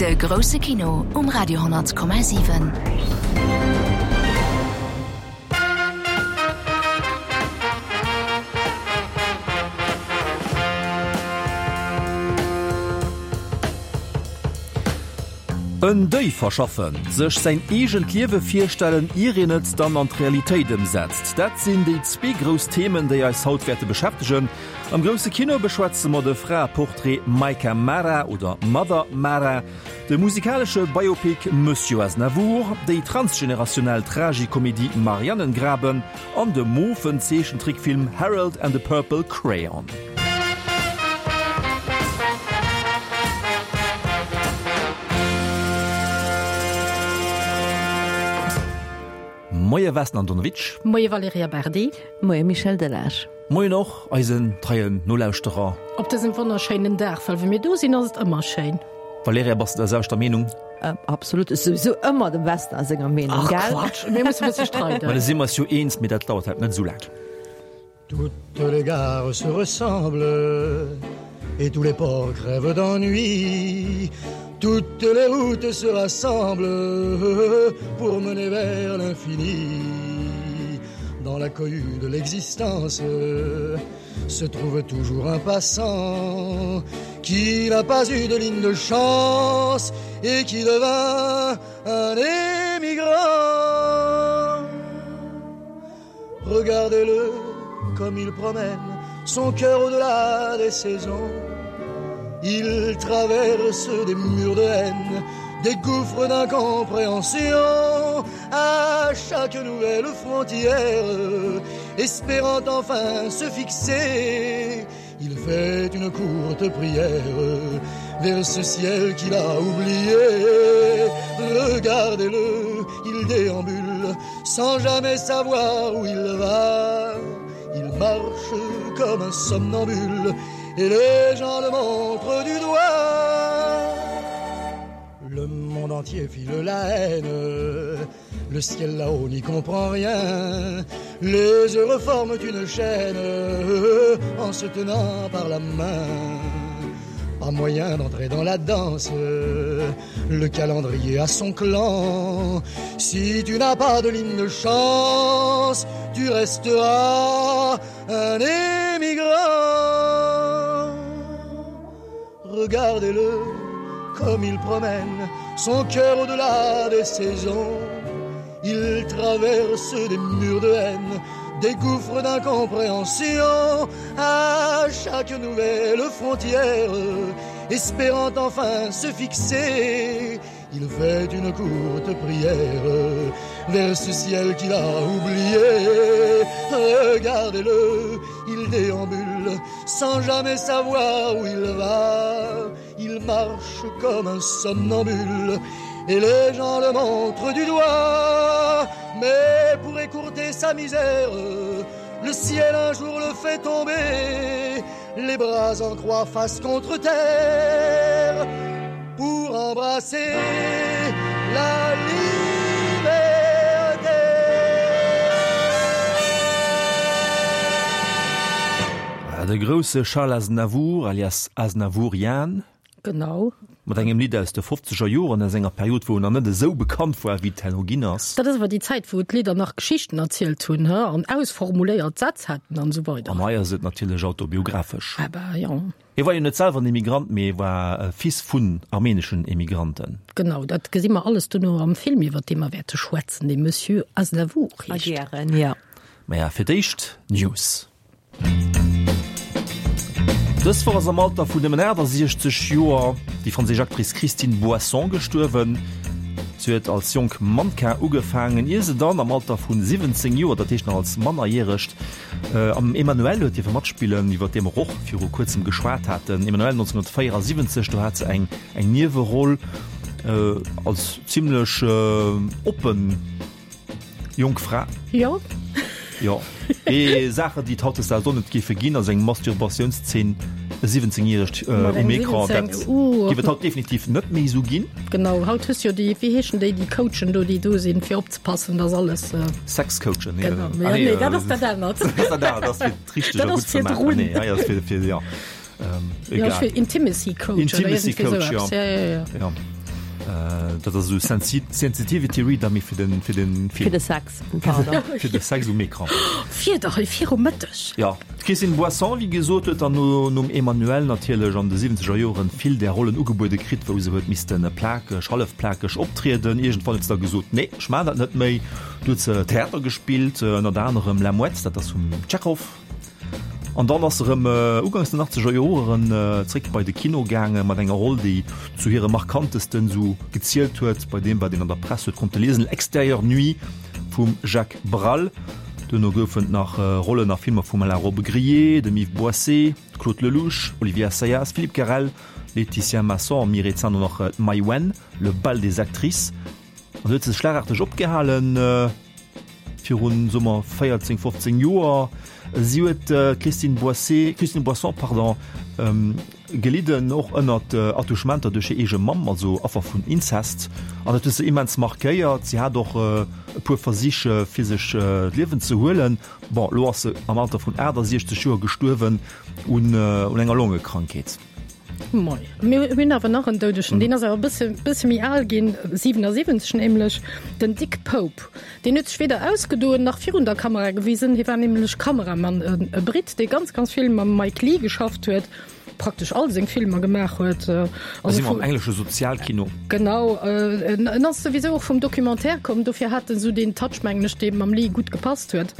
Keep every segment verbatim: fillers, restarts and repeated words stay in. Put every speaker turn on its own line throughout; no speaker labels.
De grousse Kino um Radio honnert Komma siwen.
En Deuil verschaffen, sech säin eegent Liewe virstellen, ier een et dann an d'Realitéit ëmsetzt, dat sinn déi zwee grouss Themen, déi eis haut wäerte beschäftegen. Am grousse Kino beschwätze mer de Fraeportrait Maika Mara oder Mother Mara, de musikalesche Biopic Monsieur Aznavour, déi transgenerationell Tragikomedie Marianengraben an de mofen Zeechentrickfilm Harold and the Purple Crayon. Moie Vesna Andonovic.
Moie Valerija Berdi.
Moie Michel Delage.
Moien och eisen treien Nolauschterer.
Op dësem wonnerschéinen Dag, well wa mir do sinn, ass et ëmmer schéin.
Valerija, bass de der selwechter Meenung?
Absolut, ech souwisou ëmmer dem Vesna senger Meenung,
Ach
gell?
Quatsch, mir musse e bësse streiden.
Ma da si mer eis jo eens, mee dat dauert halt net esou laang.
Toutes les gares se ressemblent et tous les ports crèvent d'ennui Toutes les routes se rassemblent pour mener vers l'infini Dans la cohue de l'existence se trouve toujours un passant qui n'a pas eu de ligne de chance et qui devint un émigrant Regardez-le comme il promène son cœur au-delà des saisons Il traverse des murs de haine, des gouffres d'incompréhension à chaque nouvelle frontière, espérant enfin se fixer, il fait une courte prière vers ce ciel qu'il a oublié. Regardez-le, il déambule sans jamais savoir où il va. Il marche comme un somnambule et les gens le montrent du doigt. Le monde entier file la haine, le ciel là-haut n'y comprend rien. Les heureux forment une chaîne en se tenant par la main. Pas moyen d'entrer dans la danse, le calendrier a son clan. Si tu n'as pas de ligne de chance, tu resteras un émigrant. Regardez-le comme il promène son cœur au-delà des saisons. Il traverse des murs de haine, des gouffres d'incompréhension à chaque nouvelle frontière, espérant enfin se fixer. Il fait une courte prière vers ce ciel qu'il a oublié. Regardez-le, il déambule sans jamais savoir où il va. Il marche comme un somnambule et les gens le montrent du doigt. Mais pour écourter sa misère, le ciel un jour le fait tomber, les bras en croix face contre terre, pour embrasser la liberté.
De grousse Charles Aznavour, alias Aznavourian.
Genau.
Mat engem Lidd aus de fofzeger Joren, aus enger Period, wou en nach net esou bekannt war, wéi et herno ginn ass.
Dat ass awer déi Zäit, wou d'Lidder nach Geschichten erzielt hunn, he, an ausformuléiert Sätz haten an esou weider.
An hei ass et natierlech autobiographesch.
Ah bah, jo.
Hie war jo net selwer en Emigrant, mee e war Fils vun armeneschen Emigranten.
Genau, dat gesi mer alles duerno am Film, iwwer dee mer wäerte schwätzen, dee Monsieur Aznavour heescht.
A gären, jo.
Maja, fir d'éischt News. Dës Woch ass am Alter vun nëmmen aachtasechzeg Joer déi franséisch Actrice Christine Boisson gestuerwen. Si huet als jonk Mannequin ugefaangen, ier se dann am Alter vu siwwenzéng Joer, dat heescht nach als Mannerjäregt, am Emmanuelle huet dierfe matspillen, iwwer dee mer och viru kuerzem geschwat haten. Emmanuelle neunzehnhundertvéierasiwwenzeg, do hat se eng eng Nieweroll als zimmlech oppen Jonk Fra.
Jo.
Jo. Ee Saachen, déi et hautdesdaags och net géife ginn, ass eng Masturbatiounszeen, e siwwenzéngjäregt um Ecran. Dat géif et haut definitiv net méi esou ginn.
Genau, haut hues jo déi, wéi heeschen déi, déi Coachen do, déi do sinn, fir opzepassen, dass alles.
Sexcoachen, nee.
Genau, nee, nee, dat ass dat anert.
Dat ass dat anert, dat ass fir d'richteg
Dat ass fir d'Runn.
Nee, hei ass fir, fir, jo.
Ähm, egal. Ja, fir Intimacy Coach.
Intimacy Coach, ja.
Ja, ja, ja.
Ja. Dat ass esou Sensi Sensitivity Reader, mee fir den, fir den
Fir
Film.
de Sex, pardon.
Fir de Sex um Ecran.
Wieder hei viru Mëtteg.
Ja. D'Christine Boisson, wéi gesot, huet dann no, nom Emmanuelle natierlech an de siwwenzeger Joren vill där Rollen ugebuede kritt, wou se huet missten plakeg, hallefplakeg optrieden. Iergendwann huet se da gesot, Nee, ech maachen dat net méi. Du huet se Theater gespillt, ënnert anerem La Mouette, dat ass vum Tschechow. An dann ass se erëm ugangs den achtzeger Joren zréck bei de Kino gaange mat enger Roll, déi zu hire markantesten esou gezielt huet, bei deem wat een an der Press huet konnte liesen, Extérieur Nuit vum Jacques Brel. Duerno goufen et nach Rollen a Filmer vum Alain Robbe-Grillet, dem Yves Boisset, Claude Lelouch, Olivier Assayas, Philippe Garrel, Laetitia Masson a méi rezent och nach d'Maïwenn, Le bal des actrices. An du huet se schlagarteg opgehalen. Virun, soe mer, véierzéng, fofzéng Joer. Si huet, d'Christine Boisset, Christine Boisson, pardon, gelidden och ënnert Attouchementer duerch hir eege Mamm, also Affer vun Inzest. An dat huet se immens markéiert. Si hat och e puer Versich, fir sech d'Liewen ze huelen. Bon, elo ass se am Alter vun aachtasechzeg Joer gestuerwen un enger Longekrankheet.
Moi. Mir hunn awer nach en Doudegen, deen ass awer e bësse, bësse méi al ginn, siwenasiwwenzeg nämlech, den Dick Pope. Deen huet sech weder ausgedoen nach virun der Kamera gewisen. Hie war nämlech Kameramann, e Britt, dee ganz, ganz vill mam Mike Leigh geschafft huet, praktesch all seng Filmer gemaach huet.
Da si mer am englesche Sozialkino.
Genau. En ass souwisou och vum Documentaire komm, dofir hat en esou deen Touch, mengen ech, dee mam Leigh gutt gepasst huet.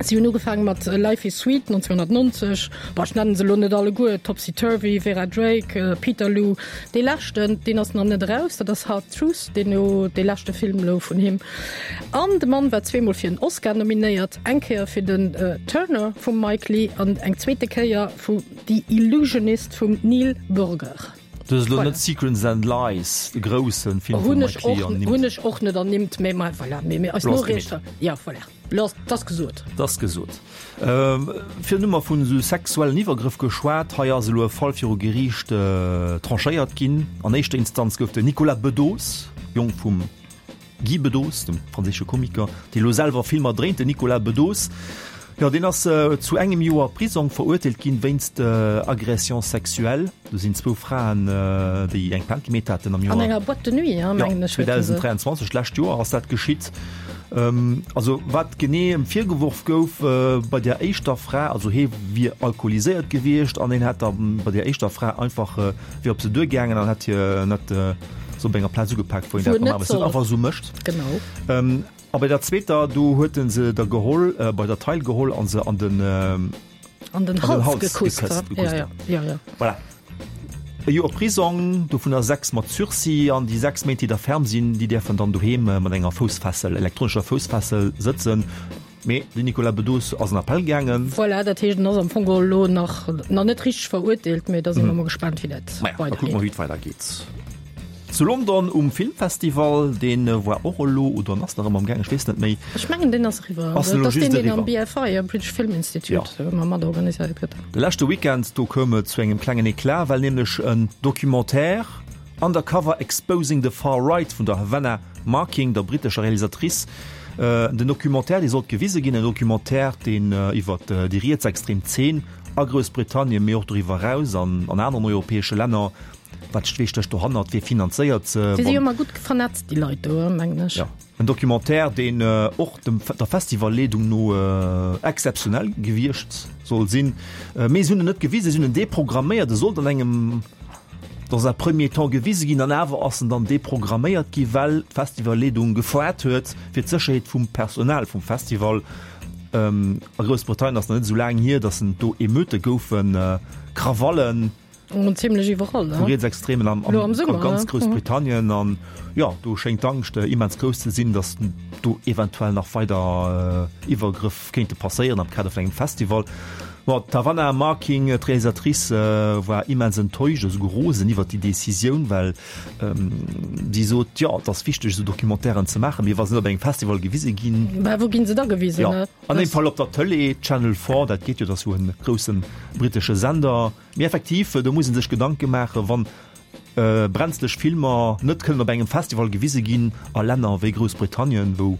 Si hunn ugefaange mat Life is Sweet nonzénhunnertnonzeg, bon, ech nennen se elo net alleguer, Topsy Turvy, Vera Drake, Peterloo. Dee leschten, deen ass nach net eraus, dat ass Hard Truth, deen elo dee leschte Film elo vun him. An de Mann war zweemol fir en Oscar nominéiert, eng Kéier fir den Turner vum Mike Leigh an eng zweete Kéier vu The Illusionist vum Neil Burger.
Du hues elo net Secrets and Lies, de grousse Film vum Mike Leigh, ernimmt.
Hunn ech och net ernimmt, mä voilà, mä eis Noriichter, ja voilà. Lass, 't ass gesot.
't ass gesot. Virun hu mer vun esou sexuellen Iwwergrëff geschwat. Hei ass elo e Fall viru Geriicht tranchéiert ginn. An éischter Instanz gouf den Nicolas Bedos, Jong vum Guy Bedos, dem franséische Komiker, dee elo selwer Filmer dréint, den Nicolas Bedos, jo, deen ass zu engem Joer Prisong verurteelt ginn wéinst Agression sexuelle. Do sinn zwou Fraen, déi eng Plainte gemeet haten am Joer.
An enger Boîte de nuit, mengen ech.
Jo, zweedausend dräianzwanzeg, d'lescht Joer ass dat geschitt. Also wat genee em virgeworf gouf bei där éischter Fra, also hee wier alkoholiséiert gewiescht an hien hätt da bei där éischter Fra einfach, wier op se duergaangen an hätt hir net sou op enger Plaz ugepaakt, wou een dat normalerweis net einfach sou mécht.
Genau.
A bei der zweeter, do huet en se da geholl, bei der Taille geholl a se an den.
An den Hals gekusst. Ja, ja, ja, ja.
Voilà. E Joer Prisong, dovunner sechs mat Sursis, an déi sechs Méint, déi da ferm sinn, déi däerfen dann doheem mat enger Foussfessel, elektronescher Foussfessel sëtzen. Mee den Nicolas Bedos ass an Appell gaangen.
Voilà, dat heescht, en ass am Fong geholl elo nach, nach net richteg verurteelt, mee da si mer mol gespaant, wéi dat
Maja, da kucke
weidergeet.
mer, wéi et weidergeet. Zu London um Filmfestival, dee war och elo, oder en ass nach ëmmer am Gaang, ech weess net méi.
Ech mengen, deen ass eriwwer.
Ass elo
Dat ass
just
deen, deen am
eriwwer.
B F I, am British Film Institute,
Ja.
ëmmer mat organiséiert gëtt.
De leschte Weekend, do koum et zu engem klengen Eclat, well nämlech en Documentaire Undercover Exposing the Far Right vun der Havana Marking, der brittescher Realisatrice, den Documentaire, dee sollt gewise ginn, en Documentaire, deen iwwer déi rietsextrem Zeen a Groussbritannien, mee och doriwwer eraus an an aneren europäesche Länner, Wat stécht dohannert? Wie finanzéiert se?
Déi si jo ëmmer gutt vernetzt, déi Leit do, mengen ech.
Jo, en Documentaire, deen och dem der Festivalleedung no exzeptionell gewiescht soll sinn. Mee se hunn en net gewisen, se hunn en deprogramméiert. E sollt an engem, dans un premier temps gewise ginn, an awer ass en dann deprogramméiert gi well d'Festivalleedung gefoart huet fir d'Sécherheet vum Personal vum Festival. A Groussbritannien ass nach net esou laang hier, datt en do Emeute goufen, Krawallen.
Und ziemlech iwwerall,
Vu Rietsextremen am, am, am
Summer,
ganz
ne?
Groussbritannien. An ja, do schéngt d'Angscht äh, immens grouss ze sinn, datt do eventuell nach weider äh, Iwwergrëff kéinte passéieren am Kader vun engem Festival. Bon, d'Tavanna Marking, d'Realisatrice, äh, war immens enttäuscht, esouguer rosen iwwer déi Decisioun, well ähm, si sot, jo, et ass wichteg, esou Documentairen ze maachen, mee wa se net op engem Festival gewise ginn,
Bah, wou ginn se da gewisen?
Ja,
ne?
an deem Fall op der Tëlee, Channel Four, dat geet jo, dat ass jo en grousse brittesche Sender. Mee effektiv, do muss ee sech Gedanke maachen, wann brenzlech Filmer net kënnen op engem Festival gewise ginn a Länner wéi Groussbritannien, wou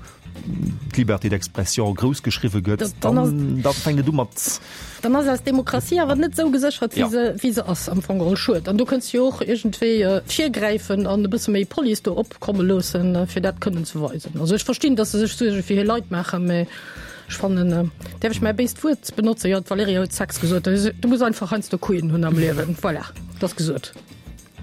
d'Liberté d'expression grouss geschriwwe gëtt, dann da fänkt et u mat.
Dann ass eis Demokratie awer net esou geséchert, wéi se, wéi se ass am Fong geholl. Schued. An do kënnst jo och iergendwéi virgräifen an e bësse méi Police do opkomme loossen, fir dat kënnen ze weisen. Also ech verstinn, datt se sech Suerge fir hir Leit maachen, mä ech fannen, däerf ech mäi béist Wuert benotzen? Jo, d'Valerija huet Sex gesot. Du muss einfach heiansdo Couillen hunn am Liewen. Voilà, et ass gesot.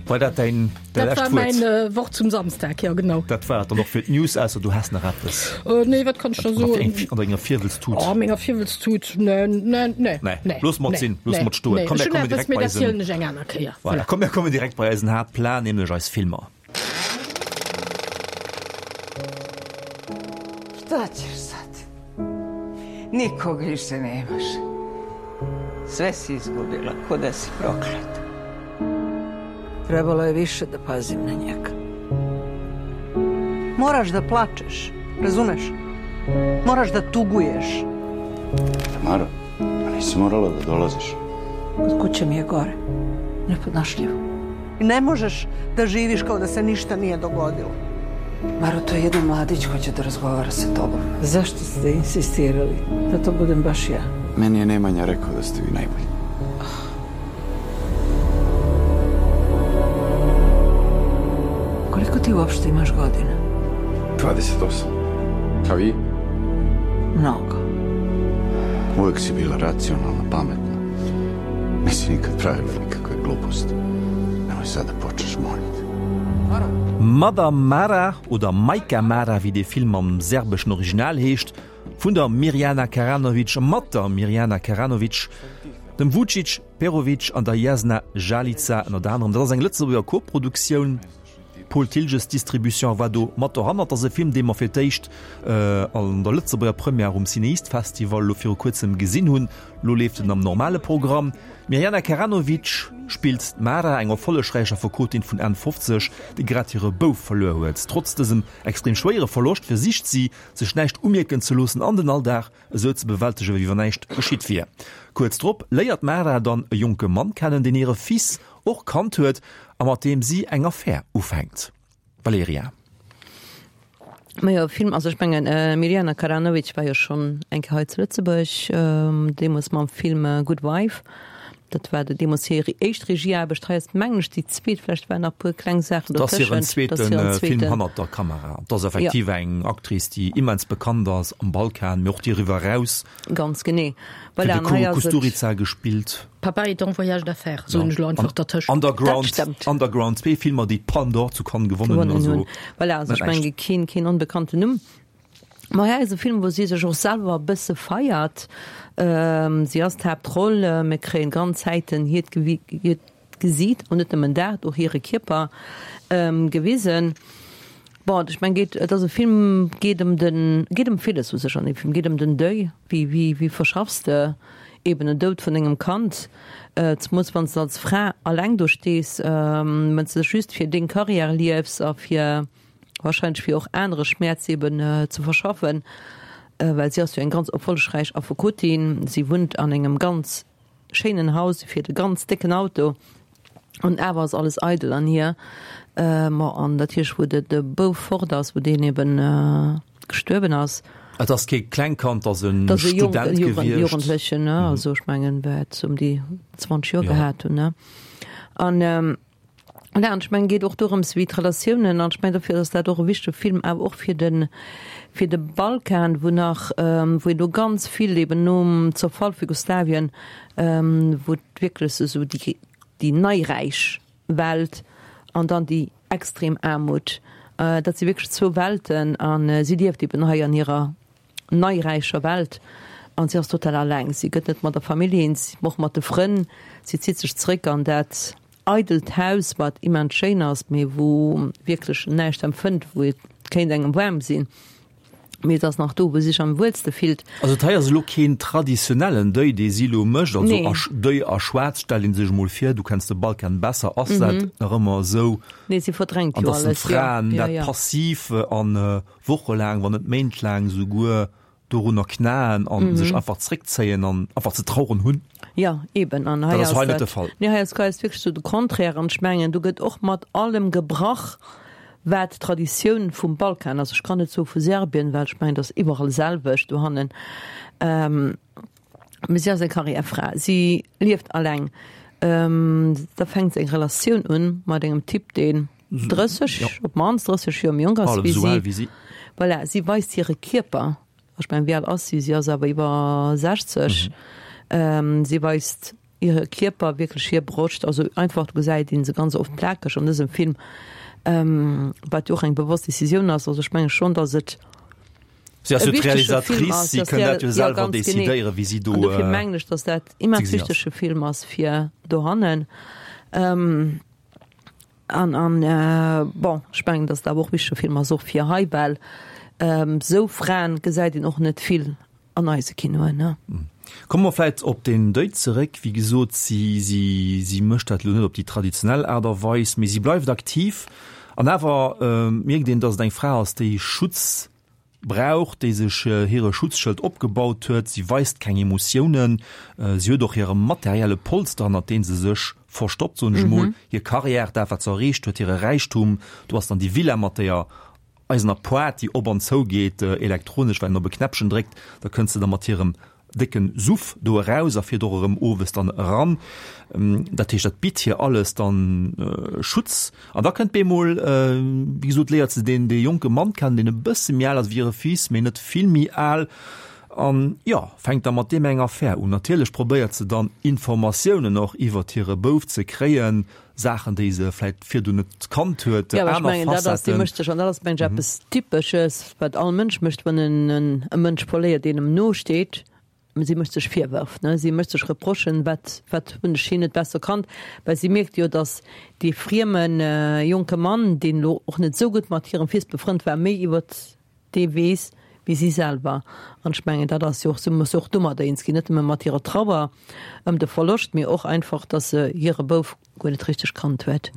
War dat däin
däi lescht Wuert? Dat war mäin äh, Wort zum Samstag, ja genau.
Dat war et dann och fir d'News, ausser du häss nach eppes.
Äh, nee, wat kann ech da soen?
An denger Virwëlztut.
Oh, menger Virwëlztut, nee, nee, nee.
Nee, looss mat sinn, looss mat stoen.
Komm, mir kommen direkt bei eisen. Ech hunn eppes, mee dat zielen ech eng aner Kéier.
Voilà, komm, mir kommen direkt bei eisen Haaptplan, nämlech eis Filmer.
Šta ćeš sad? Nikog više nemaš. Sve si izgubila, ko da si prokleta. Trebalo je više da pazim na njega.
Moraš da plačeš, razumeš? Moraš da tuguješ.
Tamara, pa nisi morala da dolaziš.
Kod kuće mi je gore. Nepodnošljivo. Ne možeš da živiš kao da se ništa nije dogodilo.
Maro, to je jedan mladić hoće da razgovara sa tobom. Zašto ste insistirali da to budem baš ja?
Meni je Nemanja rekao da ste vi najbolji.
Koliko ti uopšte imaš godina?
Dvadeset osam. A vi?
Mnogo.
Uvek si bila racionalna, pametna. Nisi nikad pravila nikakve gluposti. Nemoj sad da počneš, molim te.
Mother Mara oder Majka Mara, wéi de Film am serbeschen Original heescht, vun der Mirjana Karanovic, mat der Mirjana Karanovic, dem Vučić Perović an der Jasna Žalica ënnert anerem. Dat ass eng Lëtzebuerger Koproduktioun. Paul Thiltges Distribution war do mat dohannert. Dat ass e Film, dee mer fir d'éischt an der Lëtzebuerger Première um CinEast Festival elo viru kuerzem gesinn hunn. Elo leeft en am normale Programm. D'Mirjana Karanovic spillt d'Mara, eng erfollegräich Affekotin vun Enn fofzeg, déi grad hire Bouf verluer huet. Trotz dësem extrem schwéiere Verloscht versicht si, sech näischt umierken ze loossen an den Alldag esou ze bewältegen, wéi wann näischt geschitt wier. Kuerz drop léiert d'Mara dann e jonke Mann kennen, deen hire Fils och kannt huet a mat deem si eng Affär ufänkt. Valerija.
Majo, Film, also ech mengen Mirjana Karanovic war jo schonn eng Kéier hei zu Lëtzebuerg, deemools mam Film Good Wife. Dat war deemools hir éischt Regieaarbecht. Hei ass mengen ech déi zweet, vläicht waren nach e puer kleng Saachen
Dat ass hiren
dotëschent. Dat ass
zweete
hiren
Film
zweeten.
hannert der Kamera. Dat ass
Ja.
effektiv eng Actrice, déi immens bekannt ass am Balkan, mee och doriwwer eraus.
Ganz genee.
Fir
Voilà,
de
an hei ass et.
Kusturica gespillt.
Papa est en voyage d'affaires, soen ech elo einfach dertëscht.
Underground,
Dat stemmt.
Underground, zwee Filmer, déi d'Palme d'Or zu Cannes gewonnen hunn.
Gewonnen
Also
hunn. Voilà, also
net
ech menge
näischt.
keen, keen onbekannten Numm. Ma hei ass e Film, wou si sech och selwer e bësse feiert. Si ass d'Haaptroll, mir kréien ganz Zäiten hiert hiert Gesiit, an net nëmmen dat, och hire Kierper gewisen. Bon, ech mengen, geet, et ass e Film, geet ëm den, geet ëm villes u sech an deem Film, geet ëm den Deuil, wéi, wéi, wéi verschaffs de eben en Doud vun dengem Kand, zemools wann s de als Fra alleng do stees, wann s de just fir deng Carrière liefs a fir wahrscheinlech fir och anere Schmäerz eben ze verschaffen, well si ass jo eng ganz erfollegräich Affekotin, si wunnt an engem ganz schéinen Haus, si fiert e ganz décken Auto an awer ass alles eidel an hir. Ma an natierlech wou de de Bouf fort ass, wou deen eben gestuerwen ass.
Et ass kee Klengkand, et ass e
Et ass e Jonk,
Student gewiescht.
Jugendlechen, ne, also ech mengen wäert ëm déi zwanzeg Joer gehat hunn, ne. An Voilà, an ech mengen, et geet och dorëms, wéi d'Relatiounen, an ech mengen, dofir ass dat och e wichtege Film, awer och fir de, fir de Balkan, wou nach, wou een do ganz vill eben nom Zerfall vu Jugoslawien, wou et wierklech esou déi, déi neiräich Welt an dann déi extrem Aarmut, dat si wierklech zwou Welten, a si lieft eben hei an hirer neiräicher Welt an si ass total alleng. Si gëtt net mat der Famill eens, och mat de Frënn, si zitt sech zréck an dat eidelt Haus, wat immens schéin ass, mee wou wierklech näischt empfënnt, wou et kéint engem waarm sinn, mee et ass nach do, wou si sech am wuelste fillt.
Also et hei ass elo keen traditionellen Deuil, dee si elo mécht, also
Nee.
a Deuil a Schwaarz, stellt een sech emol vir, du kenns de Balkan besser, ass dat nach ëmmer esou?
Nee, si verdrängt
An
jo
dass den
alles, jo.
Fraen
Ja,
dat
ja.
passiv an wochelaang, wann net méintlaang souguer, dorunner knaen an sech einfach zréckzéien an einfach ze traueren hunn.
Jo, eben. An hei
Dat ass
ass
hei net
dat,
de Fall.
nee, hei ass quasi wierklech sou de Contraire. An ech mengen, do gëtt och mat allem gebrach, wat d'Traditioun vum Balkan ass. Ech kann net soe vu Serbien, well ech mengen, dat ass iwwerall selwecht dohannen. Mee si ass eng Karriärfra, si lieft alleng. Da fänkt se eng Relatioun un mat engem Typ, deen drësseg, op d'mannst drësseg Joer méi jonk ass wéi si. Voilà, si weist hire Kierper. Ech mengen, wéi al ass si? Si ass awer iwwer sechzeg. Si weist hire Kierper, wierklech hir Broscht, also einfach, do gesäit ee se ganz oft plakeg an dësem Film, wat jo och eng bewosst Decisioun ass. Also ech menge schonn, datt et
Si ass
e
jo
wichtege Film
d'Realisatrice,
ass,
si
datt
kënnt dat jo
jo,
selwer
ganz genee.
decidéieren, wéi si do
An dofir mengen ech, datt dat immens
ze gesinn ass.
wichtege Film ass fir dohannen. An, an bon, ech mengen, datt et awer och wichtege Film ass och fir hei, well esou Fraen gesäit een och net vill an eise Kinoen, ne?
Komme mer vläit op den Deuil zeréck. Wéi gesot, si, si, si mécht dat elo net op déi traditionell Aart a Weis, mee si bleift aktiv. An awer mierkt een, datt et eng Fra ass, déi Schutz brauch, déi sech hire Schutzschëld opgebaut huet. Si weist keng Emotiounen. Si huet och hire materielle Polster, hannert dee se sech verstoppt, soen ech emol, hir Karriär, dat wat se erreecht huet, hire Räichtum. Do ass dann déi Villa mat deeër eisener Poart, déi op an zou geet, elektronesch, well een op e Knäppchen dréckt, da kënnt se da mat hirem décken Suff do eraus a fiert och erëm owes dann eran. Dat heescht, dat bitt hir alles dann Schutz. An da kënnt bemol, wéi gesot, léiert se deen, dee jonke Mann kennen, deen e bësse méi al ass wéi hire Fils, mee net vill méi al, an jo, fänkt da mat deem eng Affär un. Natierlech probéiert se dann Informatiounen och iwwert hire Bouf ze kréien, Saachen, déi se vläit virdu net kannt huet,
Jo, awer ech
aner
mengen, dat ass, déi
Facetten.
mécht sech, an dat ass, mengen ech, eppes Typesches, wat all Mënsch mécht, wann en e Mënsch verléiert, deen em no steet. Si mécht sech Virwërf, ne? Si mécht sech Reprochen, wat, wat hunn ech hien net besser kannt? Well si mierkt jo, datt dee frieme jonke Mann, deen elo och net esou gutt mat hirem Fils befrënnt war, méi iwwert dee weess wéi si selwer. An ech mengen, dat ass jo och, si muss jo och domadder eens ginn, net nëmme mat hirer Trauer ëm de Verloscht, mee och einfach, datt se hire Bouf guer net richteg kannt huet.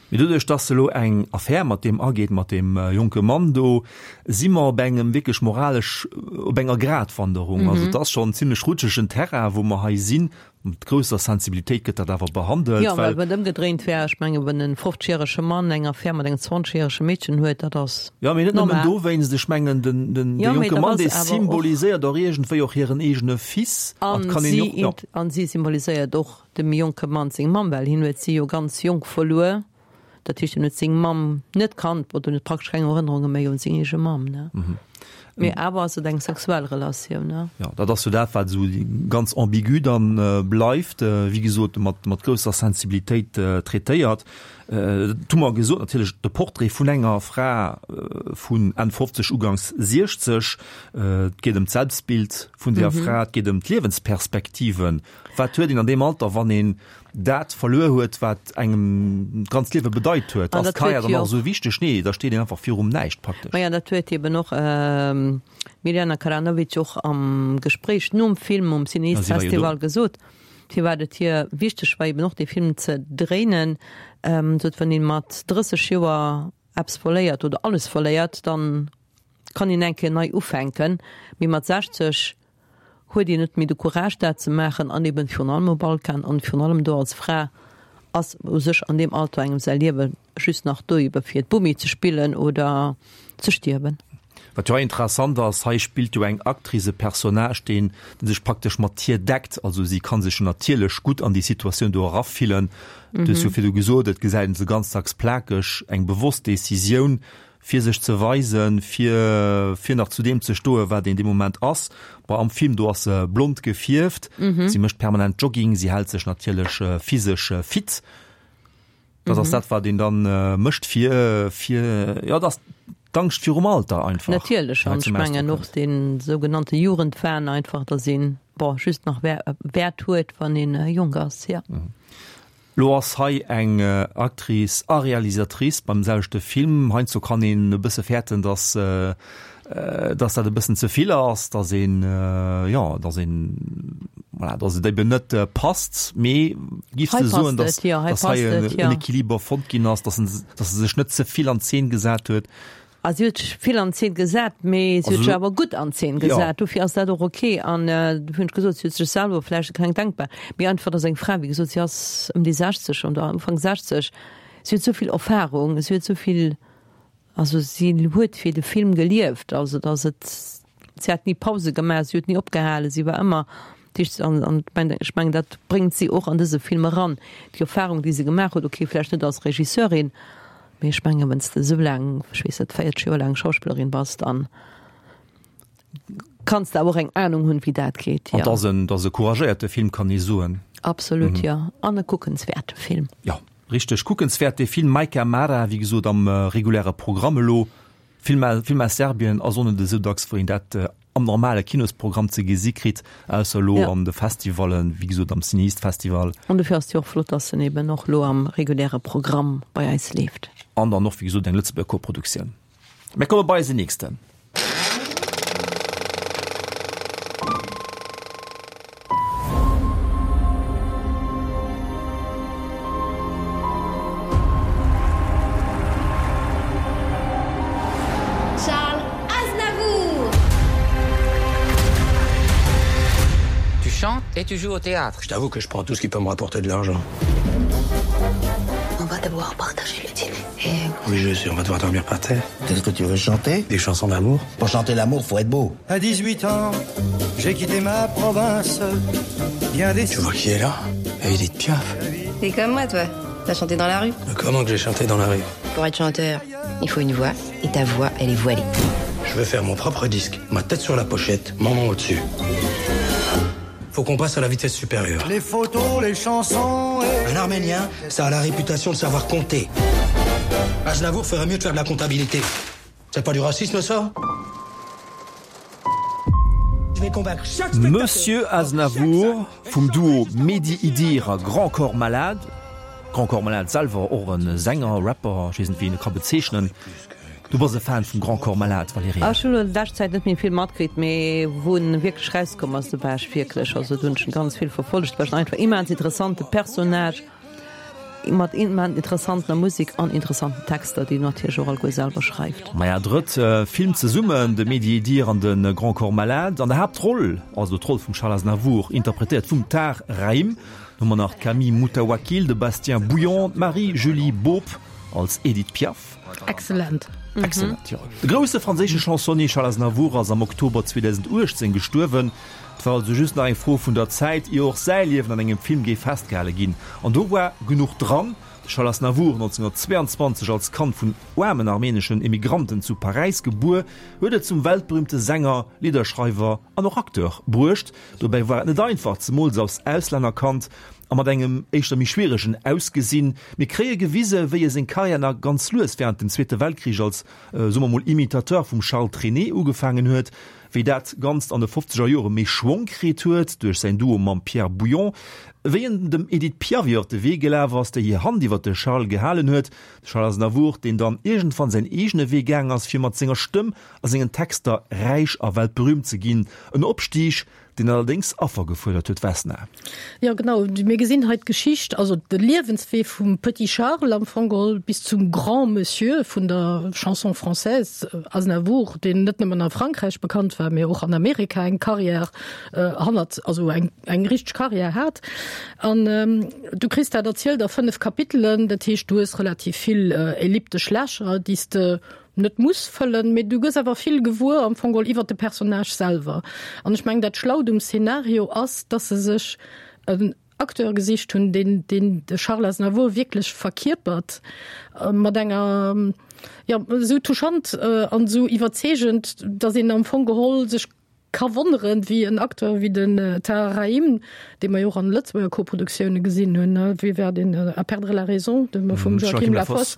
Mee doduerch, datt se elo eng Affär mat deem ageet, mat deem jonke Mann do, si mer op engem wierklech moralesch, op enger Gratwanderung. Also et ass schonn zimlech rutschegen Terrain, wou mer hei sinn. Mat grousser Sensibilitéit gëtt dat awer behandelt,
Jo, well
well.
wann et ëmgedréint wär, ech mengen, wann e fofzeg-järege Mann eng Affär mat engem zwanzeg-järege Meedchen huet, dat ass
Jo, mee net nëmmen
normal.
dowéinst. Ech mengen, den, den, de
Jo, mee
jonke
dat
Mann,
ass
dee
awer och.
symboliséiert och iergendwéi och hiren eegene Fils. An
An
kann een
si,
jo, jo.
an si symboliséiert och dem jonke Mann seng Mamm, well hien huet si jo ganz jonk verluer. Dat heescht, hien huet seng Mamm net kannt oder huet praktesch keng Erënnerunge méi un seng eege Mamm, ne? Mee awer ass et eng sexuell Relatioun, ne?
Jo, dat ass jo dat, wat esou ganz ambigu dann bleift, wéi gesot, mat, mat grousser Sensibilitéit traitéiert. Dat hu mer gesot, natierlech de Portrait vun enger Fra vun Enn fofzeg, uganks siechzeg. Et geet ëm d'Selbstbild vun där Fra, et geet ëm d'Liewensperspektiven. Wat huet een an deem Alter, wann een dat verluer huet, wat engem d'ganzt Liewe bedeit huet?
An
Ass
dat
d'Karriär
huet
dann
jo
nach
och.
esou wichteg? Nee, da steet een einfach virum Näischt praktesch.
Maja, dat huet eben och d'Mirjana Karanovic och am Gespréich nom Film um
Ja, si war jo do.
CinEast-Festival gesot, firwat et hir wichteg war, eben och dee Film ze dréinen. Sot, wann ee mat drësseg Joer eppes verléiert oder alles verléiert, dann kann een eng Kéier nei ufänken, mee mat sechzeg huet een net méi de Courage dat ze maachen an eben virun allem um Balkan an virun allem do als Fra ass u sech an deem Alter engem säi Liewe just nach do ebe fir d'Bomi ze spillen oder ze stierwen.
Wat jo hei interessant ass, hei spillt jo eng Actrice e Personnage, deen sech praktesch mat hir deckt, also si ka sech jo natierlech gutt an déi Situatioun do erafillen. Du hues jo virdu gesot, et gesäit een se ganz dacks plakeg, eng bewosst Decisioun, fir sech ze weisen, fir, fir nach zu deem ze stoen, wat een dee Moment ass. Bon, am Film do ass se blond gefierft, si mécht permanent Jogging, si hält sech natierlech physesch fit. Dat ass dat, wat een dann mécht, fir, fir, jo, dat ass d'Angscht virum Alter einfach.
Natierlech,
déi hei
an ech
zum Ausdrock
mengen och
kënnt.
dee sougenannte Jugendwahn einfach, datt een, bon, just nach Wäert huet, wann een jonk ass, jo.
Lo ass hei eng Actrice a Realisatrice beim selwechte Film. Heiansdo kann een e bësse fäerten, dass, dass dat e bëssen ze vill ass, dass een, jo, dass een, voilà, dass et eben net passt. Mee giffs
Hei
de soen,
passt
dass,
et, jo, hei
dass hei
passt et,
en
jo.
Equiliber fonnt ginn ass, dass en, dass se sech net ze vill an Zeen gesat huet?
A si huet sech vill an Zeen gesat, mee si huet sech awer gutt an Zeen gesat. Dofir ass dat och ok. An dofir hunn ech gesot, si huet sech selwer vläicht e kleng denkbar, mee einfach, dass eng Fra, wéi gesot, si ass ëm déi sechzeg schonn oder Ufank sechzeg, si huet esou vill Erfahrung, si huet esou vill, also si huet fir de Film gelieft, also dass et, si hat ni Pause gemaach, si huet ni opgehalen, si war ëmmer, dat heescht, an, an ech mengen, dat bréngt si och an dëse Film eran, déi Erfahrung, déi se gemaach huet, ok, vläicht net als Regisseurin, Mee ech mengen, wann s de esou laang, ech weess net, véierzeg Joer laang Schauspillerin bass, dann kanns de awer och eng Anung hunn, wéi dat geet,
jo. An 't ass en, 't ass e couragéierte Film, kann ee soen.
Absolut, jo. An e kuckenswäerte Film.
Jo, richteg kuckenswäert, dee Film Majka Mara, wéi gesot am reguläre Programm elo. Film, Film aus Serbien ass och net esou dacks, wou een dat am normale Kinosprogramm ze gesi kritt, ausser elo an de Festivallen, wéi gesot am CinEast Festival.
An dofir ass et jo och flott, dass en eben och elo am reguläre Programm bei eis leeft.
An dann och, wéi gesot, eng Lëtzebuerger Koproduktioun. Mir komme bei eisen nächsten.
Charles Aznavour!
Tu chantes et tu joues au théâtre.
Je t'avoue que je prends tout ce qui peut me rapporter de l'argent.
On va devoir partager le dîner et...
Oui, je sais, on va devoir dormir par terre.
Qu'est-ce que tu veux chanter?
Des chansons d'amour.
Pour chanter l'amour, faut être beau.
À dix-huit ans, j'ai quitté ma province. Bien des...
Tu vois qui est là? Edith Piaf.
T'es comme moi, toi. T'as chanté dans la rue.
Comment que j'ai chanté dans la rue?
Pour être chanteur, il faut une voix et ta voix, elle est voilée.
Je veux faire mon propre disque, ma tête sur la pochette, mon nom au-dessus. Faut qu'on passe à la vitesse supérieure.
Les photos, les chansons et...
Un Arménien, ça a la réputation de savoir compter. Aznavour ferait mieux de faire de la comptabilité. C'est pas du racisme, ça?
Monsieur Aznavour vum Duo Mehdi Idir a Grand Corps Malade. Grand Corps Malade selwer och e Sänger, Rapper, ech weess net wéi een e ka bezeechnen. Du bass e Fan vum Grand Corps Malade, Valerija?
Ech hunn elo an leschter Zäit net méi vill matkritt, mee wou en wierklech rauskomm ass, do war ech wierklech, also do hunn ech en ganz vill verfollegt, well ech en einfach immens interessante Personnage mat immens interessantener Musek an interessanten Texter, déi en natierlech och alleguer selwer schreift.
Maja, drëtt Film zesummen, de Mehdi Idir an de Grand Corps Malade. An der Haaptroll, also d'Roll vum Charles Aznavour, interpretéiert vum Tahar Rahim, hu mer nach d'Camille Moutawakil, de Bastien Bouillon, d'Marie-Julie Baup als Edith Piaf.
Excellent.
Excellent, jo. De grousse franséische Chansonnier Charles Aznavour ass am Oktober zweedausendachtzéng gestuerwen. Et war also just nach eng Fro vun der Zäit, ier och säi Liewen an engem Film géif festgehale ginn. An do war genuch dran. De Charles Aznavour, nonzénhunnertzweeanzwanzeg als Kand vun aarmen armeneschen Emigranten zu Paräis gebuer, huet et zum weltberühmte Sänger, Lidderschreiwer an och Acteur bruecht. Dobäi war et net einfach, zemools als Auslännerkand a mat engem éischter méi schwieregen Ausgesinn. Mir kréie gewise wéi e seng Karriär nach ganz lues wärend dem Zweete Weltkrich als, soe mer mol, Imitateur vum Charles Trenet ugefaangen huet, wéi dat Ganzt an de fofzeger Jore méi Schwong kritt huet duerch säin Duo mam Pierre Bouillon, wéi en dem Edith Piaf iwwer de Wee gelaf ass, déi hir Hand iwwer de Charles gehalen huet, de Charles Aznavour, deen dann iergendwann säin eegene Wee gaang ass, fir mat senger Stëmm a sengen Texter räich a weltberüümt ze ginn. En Opstig, deen allerdéngs Affer gefuerdert huet. Vesna.
Jo, genau. Mir gesinn hei d'Geschicht, also de Liewenswee vum Petit Charles am Fong geholl bis zum Grand Monsieur vun der Chanson française, Aznavour, deen net nëmmen a Frankräich bekannt war, mee och an Amerika eng Carrière hannert, also eng, eng richteg Carrière hat. An du kriss dat erzielt a fënnef Kapitelen, dat heescht, du hues relativ vill elliptesch Lächer, déi s de net muss fëllen, mee du gëss awer vill gewuer am Fong geholl iwwert de Personnage selwer. An ech mengen, dat Schlaut um Szenario ass, dass se sech en Acteur gesicht hunn, deen deen de Charles Aznavour wierklech verkierpert, mat enger, jo, esou touchant an esou iwwerzeegend, dass een am Fong geholl sech ka wonneren, wéi en Acteur wéi den Tahar Rahim, dee mer jo och an Lëtzebuerger Koproduktioune gesinn hunn, wéi war deen, À perdre la raison, de vum Joachim Lafosse,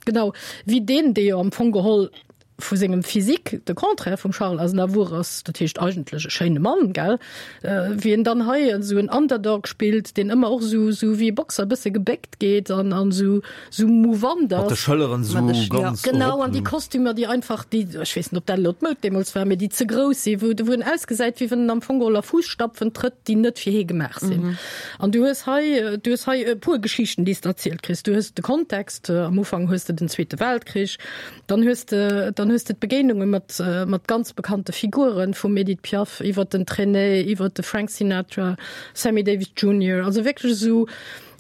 genau, wéi deen, dee jo am Fong geholl vu sengem Physique de Contraire vum Charles Aznavour ass, dat heescht eigentlech e schéine Mann, gell, wéi en dann hei esou en Underdog spillt, deen ëmmer och esou, esou wéi e Boxer e bësse gebéckt geet an, an esou, esou mouvant
Mat de
ass.
Schëlleren esou ganz
Genau,
erop.
an déi Kostümer, déi einfach, déi, ech weess net, ob dat elo d'Moud deemools war, mee déi ze grouss sinn, wou, wou en ausgesäit, wéi wann en am Fong geholl a Fuusstapfen trëtt, déi net fir hie gemaach sinn. An du hues hei, du hues hei e puer Geschichten, déi s de erzielt kriss. Du hues de Kontext, am Ufank hues de den Zweete Weltkrich, dann hues de, dann Dann hues de d'Begéinunge mat, mat ganz bekannte Figuren, vum Edith Piaf iwwer den Trenet, iwwer de Frank Sinatra, Sammy Davis Junior. Also wierklech esou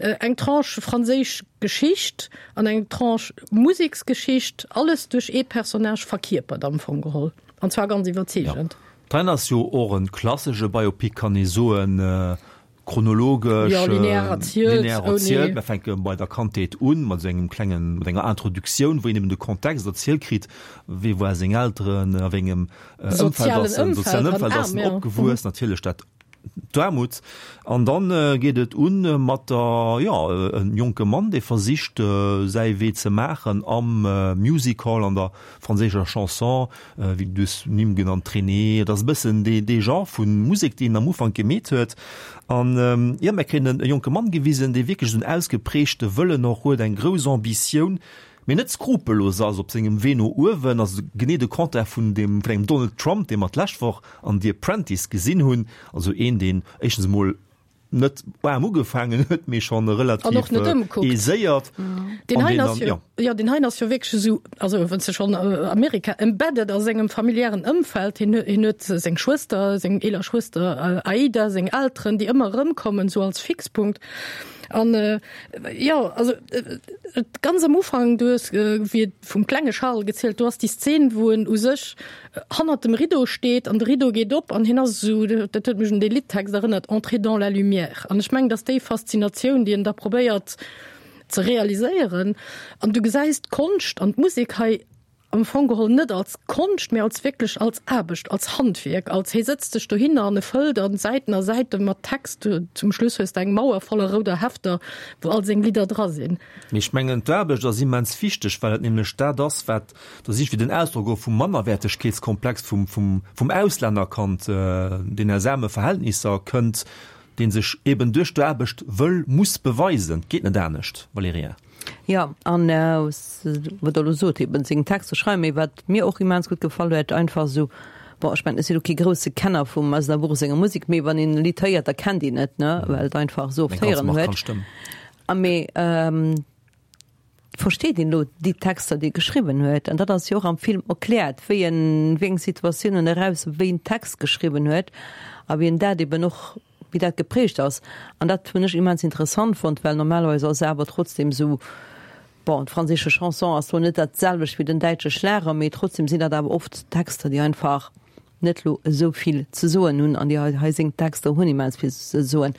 eng Tranche franséisch Geschicht an eng Tranche Museksgeschicht, alles duerch ee Personnage verkierpert am Fong geholl. An zwar ganz iwwerzeegend.
Jo. D'Reine ass jo och e klassesche Biopic, kann ee soen, chronologesch,
Jo, linear erzielt,
linear
ouni.
erzielt. Mir fänke bei der Kandheet un, mat esou engem klengen, mat enger Introduktioun, wou een eben de Kontext erzielt kritt, wee war seng Elteren, a wéi engem Ëmfeld
Sozialen
ass en,
Ëmfeld
sozialen
an
Ëmfeld ass
aarm,
en
jo.
opgewuess, natierlech dat D'Aarmut. An dann geet et un mat der, jo, e jonke Mann, dee versicht, säi Wee ze maachen am Music Hall, an der franséischer Chanson, wéi du hues Nimm genannt, Trenet, et ass e bëssen dee, dee Genre vu Musek, deen en am Ufank gemeet huet. An, jo, mir kréien e jonke Mann gewisen, dee wierklech esou en ausgeprägte Wëllen och huet, eng grouss Ambitioun, mee net skrupellos ass op sengem Wee no uewen, also genee de Contraire vun deem, vun engem Donald Trump, dee mer d'lescht Woch an The Apprentice gesinn hunn, also een, deen éischtens emol net waarm ugefaangen huet, mee schonn relativ
An och net ëmkuckt.
aiséiert.
Deen
An
heien
deen
ass
dann,
jo,
jo.
jo, deen heien ass jo wierklech esou, also wann s de schonn Amerika embedded a sengem familiären Ëmfeld, hien, hien huet seng Schwëster, seng eeler Schwëster Aida, seng Elteren, déi ëmmer erëmkommen, esou als Fixpunkt. An jo, also ganz am Ufank, du hues wéi et vum klenge Charles gezielt, do ass déi Szen, wou en u sech hannert dem Rideau steet an de Rideau geet op an hien ass esou, dat huet mech un dee Liddtext erënnert, Entrez dans la lumière. An ech mengen, dass déi Faszinatioun, déi en da probéiert ze realiséieren, an du gesäis d'Konscht an d'Musek hei am Fong geholl net als Konscht, mee als wierklech als Aarbecht, als Handwierk, als hie sëtzt sech dohinner an e fëllt an Säiten a Säite mat Text. Zum Schluss hues de eng Mauer voller rouder Hefter, wou all seng Lidder dra sinn.
Mee ech mengen, d'Aarbecht ass immens wichteg, well et nämlech dat ass, wat, do si ech fir den Ausdrock och vum Mannerwäertegkeetskomplex vum, vum, vum Auslännerkand, deen aus aarme Verhältnisser kënnt, dee sech eben duerch d'Aarbecht wëll, muss beweisen. Et geet net anescht, Valerija.
Jo, an wat Der elo sot, eben seng Texter schreiwen, mee wat mir och immens gutt gefall huet, einfach esou, bon, ech mengen, ech sinn elo kee grousse Kenner vum Aznavour senger Musek, mee wann een e Lidd héiert, da kennt een et, ne, well et einfach esou oft
Eng ganz
héieren huet.
markant Stëmm.
A mee versteet een elo déi Texter, déi e geschriwwen huet? An dat ass jo och am Film erkläert, wéi en, wéi eng Situatiounen eraus wéi en Text geschriwwen huet a wéi en dat eben och, wéi dat geprägt ass. An dat hunn ech immens interessant fonnt, well normalerweis ass e awer trotzdem esou, bon, d'franséische Chanson ass lo net dat selwecht wéi den däitsche Schlager, mee trotzdem sinn dat awer oft Texter, déi einfach net lo esou vill ze soen hunn. An déi hei, hei seng Texter hunn immens vill ze soen.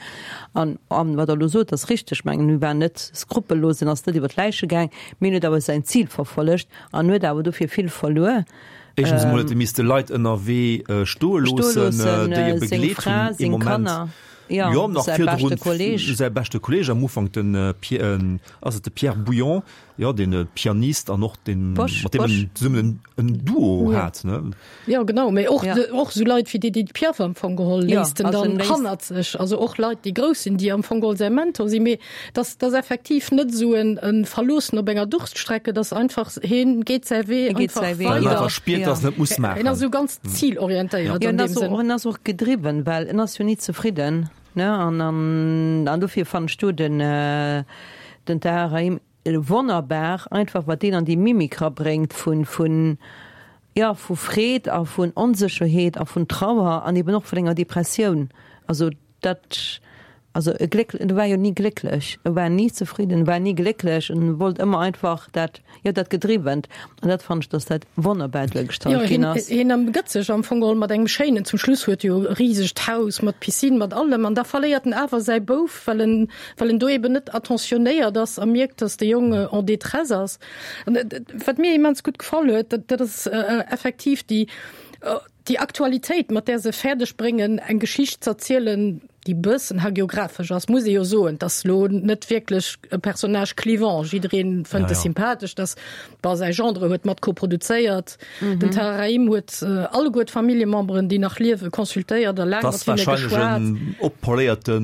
An, an wat Der elo sot, ass richteg. Ech mengen, hie war net skrupellos, en ass net iwwer d'Läiche gaang, mee en huet awer säin Zil verfollegt an huet awer dofir vill verluer.
Éischtens emol huet e misste Leit ënnerwee stoe loossen, déi e begleet hunn ee Moment. Jo, nach virdrun säi beschte Kolleeg am Ufank, den Pierre, ass et de Pierre Bouillon, jo, dee Pianist an och deen, mat deem en zesummen en Duo hat, ne?
Jo, genau, mee och, och esou Leit wéi d'Edith Piaf am Fong geholl léisst en dann hannert sech. Also och Leit, déi grouss sinn, déi am Fong geholl säi Mentor sinn. Mee dass, dass effektiv net esou en Verloossen op enger Durststrecke, dass einfach hien geet säi Wee einfach weider.
Well en einfach spiert, dass en et muss maachen.
Hien ass esou ganz zilorientéiert an deem Sënn.
En ass och gedriwwen, well en ass jo ni zefridden, ne? An, an, an dofir fannen ech do den, den Tahar Rahim wonnerbar, einfach wat deen an déi Mimik rabréngt vun, vun, jo, vu Freed a vun Onsécherheet a vun Trauer an eben och vun enger Depressioun. Also dat, also e Gléck, e war jo ni glécklech, e war ni zefridden, e war ni glécklech, en wollt ëmmer einfach dat, jo, dat Gedriwwent. An dat fannen ech, dass dat wonnerbar duergestallt ginn ass.
Jo, hien, hien ëmgëtt sech am Fong geholl mat engem schéinen, zum Schluss huet e jo e risegt Haus mat Piscine, mat allem, an da verléiert en awer säi Bouf, well en, well en do eben net attentionnéiert ass a mierkt, dass de Jong en détresse ass. An wat mir immens gutt gefall huet, dat, dat ass effektiv déi, déi Aktualitéit, mat där se fäerdeg bréngen, eng Geschicht z'erzielen, déi bëssen hagiographesch ass, muss ee jo soen, 't ass lo net wierklech e Personnage clivant, jiddereen fënnt e sympathesch, dass, bon, säi Gendre huet mat koproduzéiert, den Tahar Rahim huet alleguer d'Familljememberen, déi nach liewen, consultéiert a laang
't ass
mat hinne
warscheinlech
geschwat.
en oppoléierte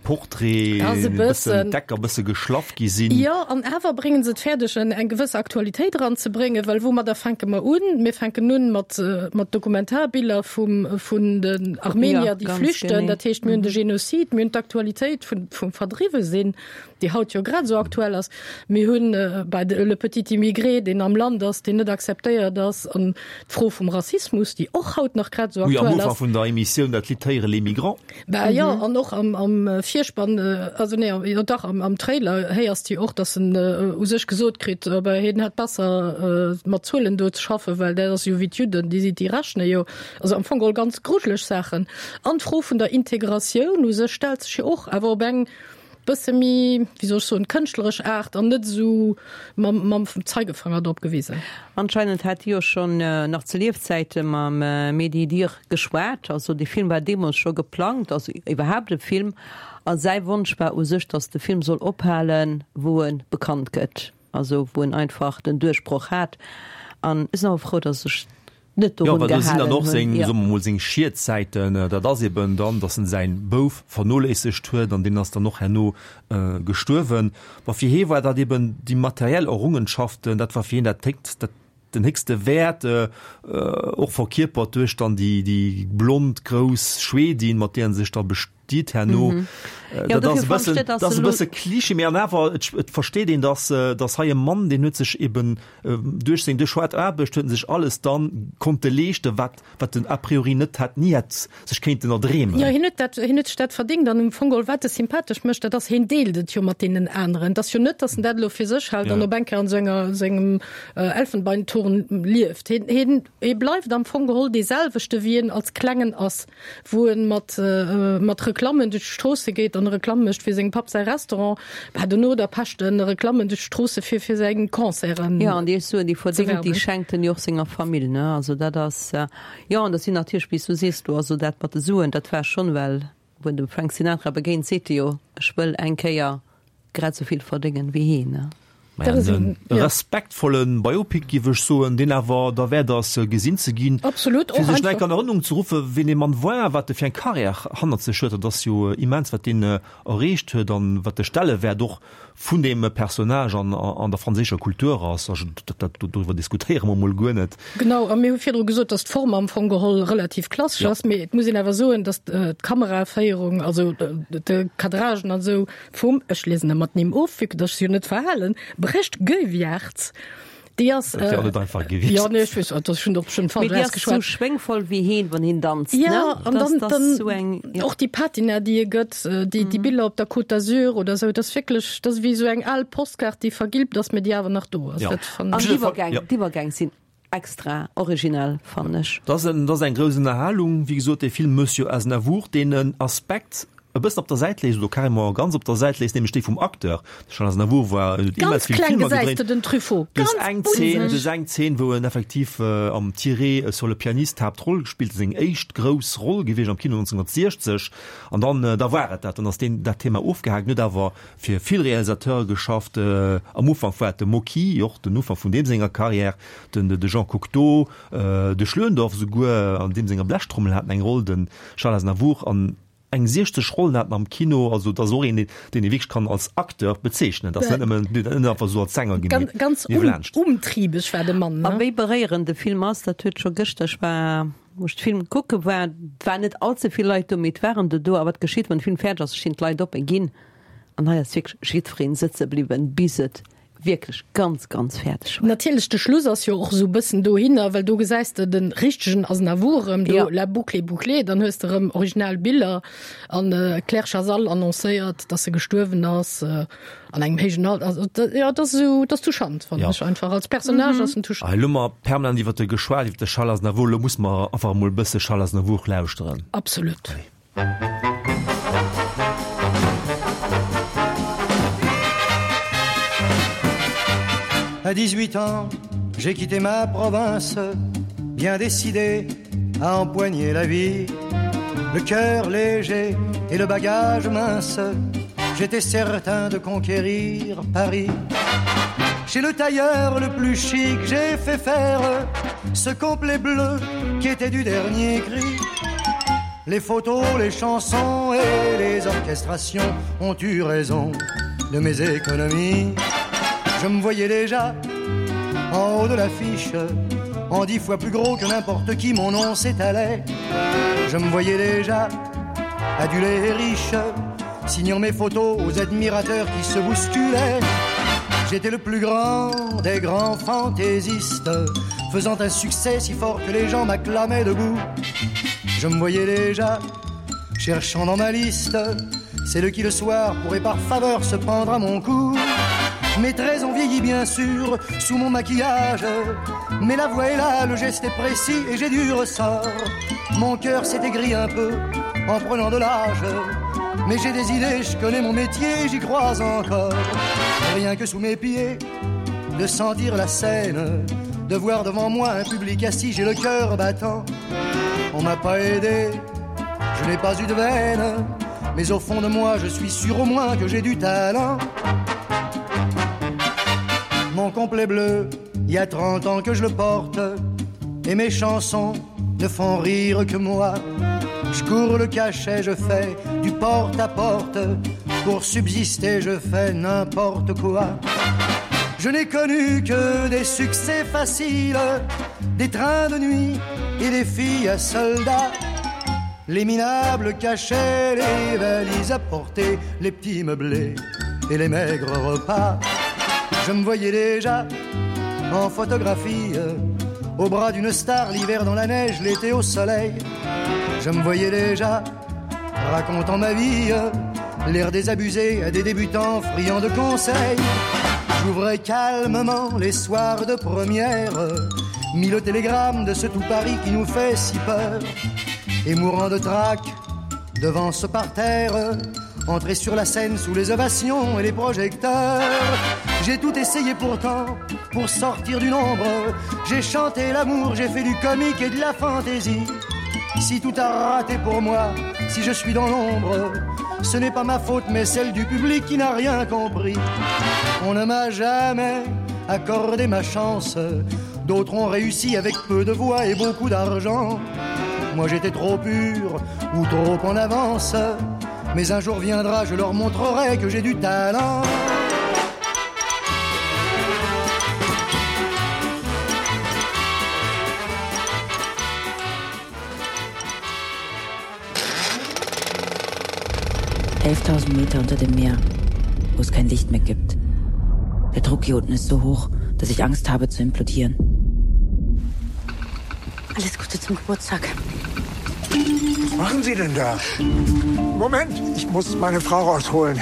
Portrait,
't ass e
e bëssen
bëssen.
d'Ecker bësse geschlaff gi sinn.
Jo, an awer bréngen se et fäerdeg, eng gewëss Aktualitéit eranzebréngen, well woumadder fänke mer un? Mir fänken un mat, mat Dokumentarbiller vum, vun den Armenier, déi flüchten. Dat heescht, mir hunn de Genozid, mir hunn d'Aktualitéit vun, vum Verdriwwesinn, déi haut jo grad esou aktuell ass. Mir hunn bei de Le Petit Immigré, deen am Land ass, deen net akzeptéiert ass, an d'Fro vum Rassismus, déi och haut nach grad esou
Wou jo am
aktuell
Ufank
ass.
vun der Emissioun dat Lidd héieren, Les Migrants.
Bah jo, an och am, am Virspann, also nee, jo dach, am, am Trailer héiers de jo och, dass en u sech gesot kritt, bah, hien hätt besser mat Zuelen do ze schaffen, well dat ass jo wéi d'Judden, déi si, déi rechne jo. Also am Fong geholl ganz grujeleg Saachen. An d'Fro vun der Integratioun u sech stellt sech jo och, awer op eng bësse méi, wéi soll ech soen, kënschtleresch Aart an net esou mam, mam Zeigefanger drop gewisen.
Anscheinend hat hie jo schonn nach zu Liefzäite mam Mehdi Idir geschwat. Also dee Film war deemools scho geplangt, also iwwerhaapt e Film. A säi Wonsch war u sech, datt de Film soll ophalen, wou e bekannt gëtt, also wou en einfach den Duerchbroch hat. An ech sinn awer frou, datt ech net
Jo,
dorun
well do sinn dann
gehalen
och
hunn.
seng,
Jo.
soe mer mol, seng Schietsäiten. Dat ass eben dann, datt en säin Bouf vernoléissegt huet an deen ass dann och herno gestuerwen. Ma fir hee war dat eben déi materiell Errungenschaften, dat war fir hien dat héchst, dat den héchste Wäert, och verkierpert duerch dann déi, déi blond grouss Schwedin, mat där en sech da bestiet herno.
Mhm. Jo,
Dat ass
dofir
e
fand
bëssen,
ech dat
dat
ass
ass e
elo.
bësse Klischee, mee an awer et, et versteet een, datt, datt hei e Mann, deen huet sech eben duerch seng, duerch haart Aarbecht huet en sech alles dann konnte leeschten, wat, wat en a priori net hätt, ni hätt sech kéinten erdreemen.
Jo, hien huet dat, hien huet sech dat verdéngt an um Fong geholl, wat e sympathesch mécht, dat ass, hien deelt et jo mat deenen aneren. Et ass jo net, datt en dat elo fir sech hält an
Ja.
op eng Kéier an esou enger, esou engem Elfenbeinturm lieft. Hien, hien, hie bleift am Fong geholl dee selwechte, wéi en als Klengen ass, wou en mat, mat Reklammen duerch d'Stroosse geet an Reklamm mécht fir sengem Papp säi Restaurant, bah, dono da pecht en Reklammen duerch d'Stroosse fir fir seng Concerten
Jo, an déi Suen, déi
ze
verdéngt, déi
werben.
schenkt en jo och senger Famill, ne? Also dat ass, jo, an dat sinn natierlech, wéi s du sees do, also dat mat de Suen, dat war schonn, well wou en dem Frank Sinatra begéint, seet e jo, ech wëll eng Kéier grad esou vill verdéngen wéi hien, ne?
Maja,
Dat ass
en
en, ja.
respektvolle Biopic, géif ech soen, deen awer derwäert ass, gesinn ze ginn,
Absolut,
fir
och
sech nach eng
einfach.
Kéier an Erënnerung ze ruffen, wien dee Mann war, wat e fir eng Karriär hannert sech huet. Dat ass jo immens, wat deen erreecht huet an wat de Stellewäert och vun deem Personnage an, an der franséischer Kultur ass. Also dat, dat, doriwwer diskutéiere mer mol guer net.
Genau, a mir hu virdru gesot, dass d'Form am Fong geholl relativ klassesch
Ja.
ass, mee et muss een awer soen, dass d'Kameraféierung, also de Cadragen an esou vum, ech liesen ëmmer d'Nimm of, vue que dass ech se jo net verhalen, Brecht Goeyvaerts, déi ass,
Dat wär och net einfach gewiescht.
Jo, nee, ech weess, dat ass schonn och schonn
Mee
falsch
déi ass sou
ausgeschwat.
schwéngvoll wéi heen, wann heen danzt,
Ja,
ne?
an
Das,
dann,
das
dann
sou eng, ja.
och déi Patina, déi e gëtt, déi, déi Biller op der Côte d'Azur oder sou, dat ass wierklech, dat ass wéi sou eng al Postkaart, déi vergilbt ass, mee déi awer nach do ass.
Ja.
Dat fannen
An
ech.
d'Iwwergäng,
Ja.
d'Iwwergäng sinn extra originell, fannen ech.
Dat ass en, dat ass eng grouss Ënnerhalung, wéi gesot, dee Film Monsieur Aznavour, deen en Aspekt e bëssen op der Säit léisst, oder carrément ganz op der Säit léisst, nämlech dee vum Acteur. De Charles Aznavour war, huet immens
Ganz
vill
kleng
Filmer
gesäis
gedréint.
de den Truffaut,
Du hues
ganz
eng Zeen, du
bunseg.
hues eng Zeen, wou en effektiv am Tiré sur le pianiste d'Haaptroll gespillt, seng éischt grouss Roll gewiescht am Kino neunzehnhundertsechzeg, an dann, da war et dat, dann ass deen, dat Thema ofgehaakt. En huet awer fir vill Realisateure geschafft, am Ufank war et de Mocky, och den Ufank vun deem senger Carrière, den, de Jean Cocteau, de Schlöndorff souguer, an deem senger Blechtrommel hat en eng Roll, de Charles Aznavour, an eng siechzeg Rollen hat en am Kino, also dat ass och een, deen ee wierklech kann als Acteur bezeechnen, dat ass net nëmmen, deen net einfach esou als Sänger
Ganz, ganz
niewelaanscht.
umtriebeg war de Mann,
A
ne?
wéi beréierend de Film ass, dat huet scho gëschter, ech war, wou ech de Film kucke war, et waren net all ze vill Leit do, mee et waren der do, a wat geschitt, wann de Film fäerdeg ass, stinn d'Leit op a ginn, an hei ass wierklech jiddwereen sëtze bliwwen, bis et wierklech ganz, ganz fäerdeg war.
Natierlech, de Schluss ass jo och esou bëssen dohinner, well do gesäis de de richtegen Aznavour erëm, do
Ja.
la boucle est bouclée, dann hues de erëm original Biller an d'Claire Chazal annoncéiert, dass se gestuerwen ass an engem héijen Alter. Also dat, jo, dat ass esou, dat ass touchant, fannen
Ja.
ech einfach. Als Personnage ass en touchant.
Elo hu mer permanent iwwert e geschwat, iwwert de Charles Aznavour, elo muss mer einfach emol e bësse Charles Aznavour lauschteren.
Absolut.
Allez.
À dix-huit ans, j'ai quitté ma province, bien décidé à empoigner la vie. Le cœur léger et le bagage mince, j'étais certain de conquérir Paris. Chez le tailleur le plus chic, j'ai fait faire ce complet bleu qui était du dernier cri. Les photos, les chansons et les orchestrations ont eu raison de mes économies. Je me voyais déjà en haut de l'affiche, en dix fois plus gros que n'importe qui, mon nom s'étalait. Je me voyais déjà adulé et riche, Signant mes photos aux admirateurs qui se bousculaient. J'étais le plus grand des grands fantaisistes, faisant un succès si fort que les gens m'acclamaient debout. Je me voyais déjà cherchant dans ma liste celle qui le soir pourrait par faveur se prendre à mon cou. Mes traits ont vieilli bien sûr sous mon maquillage, mais la voix est là, le geste est précis et j'ai du ressort. Mon cœur s'est aigri un peu en prenant de l'âge, mais j'ai des idées, je connais mon métier, j'y crois encore. Rien que sous mes pieds, de sentir la scène, de voir devant moi un public assis, j'ai le cœur battant. On m'a pas aidé, je n'ai pas eu de veine, mais au fond de moi, je suis sûr au moins que j'ai du talent. Mon complet bleu, il y a trente ans que je le porte, et mes chansons ne font rire que moi. Je cours le cachet, je fais du porte à porte, pour subsister, je fais n'importe quoi. Je n'ai connu que des succès faciles, des trains de nuit et des filles à soldats. Les minables cachaient les valises à porter, les petits meublés et les maigres repas. Je me voyais déjà en photographie, au bras d'une star, l'hiver dans la neige, l'été au soleil. Je me voyais déjà racontant ma vie, l'air désabusé à des débutants friands de conseils. J'ouvrais calmement les soirs de première, mis le télégramme de ce tout Paris qui nous fait si peur. Et mourant de trac devant ce parterre, entrer sur la scène sous les ovations et les projecteurs. J'ai tout essayé pourtant pour sortir du nombre. J'ai chanté l'amour, j'ai fait du comique et de la fantaisie. Si tout a raté pour moi, si je suis dans l'ombre, ce n'est pas ma faute mais celle du public qui n'a rien compris. On ne m'a jamais accordé ma chance. D'autres ont réussi avec peu de voix et beaucoup d'argent. Moi j'étais trop pur ou trop en avance. Mais un jour viendra, je leur montrerai que j'ai du talent.
Elftausend Meter unter dem Meer, wo es kein Licht mehr gibt. Der Druck hier unten ist so hoch, dass ich Angst habe zu implodieren.
Alles Gute zum Geburtstag.
Was machen Sie denn da? Moment, ich muss meine Frau rausholen.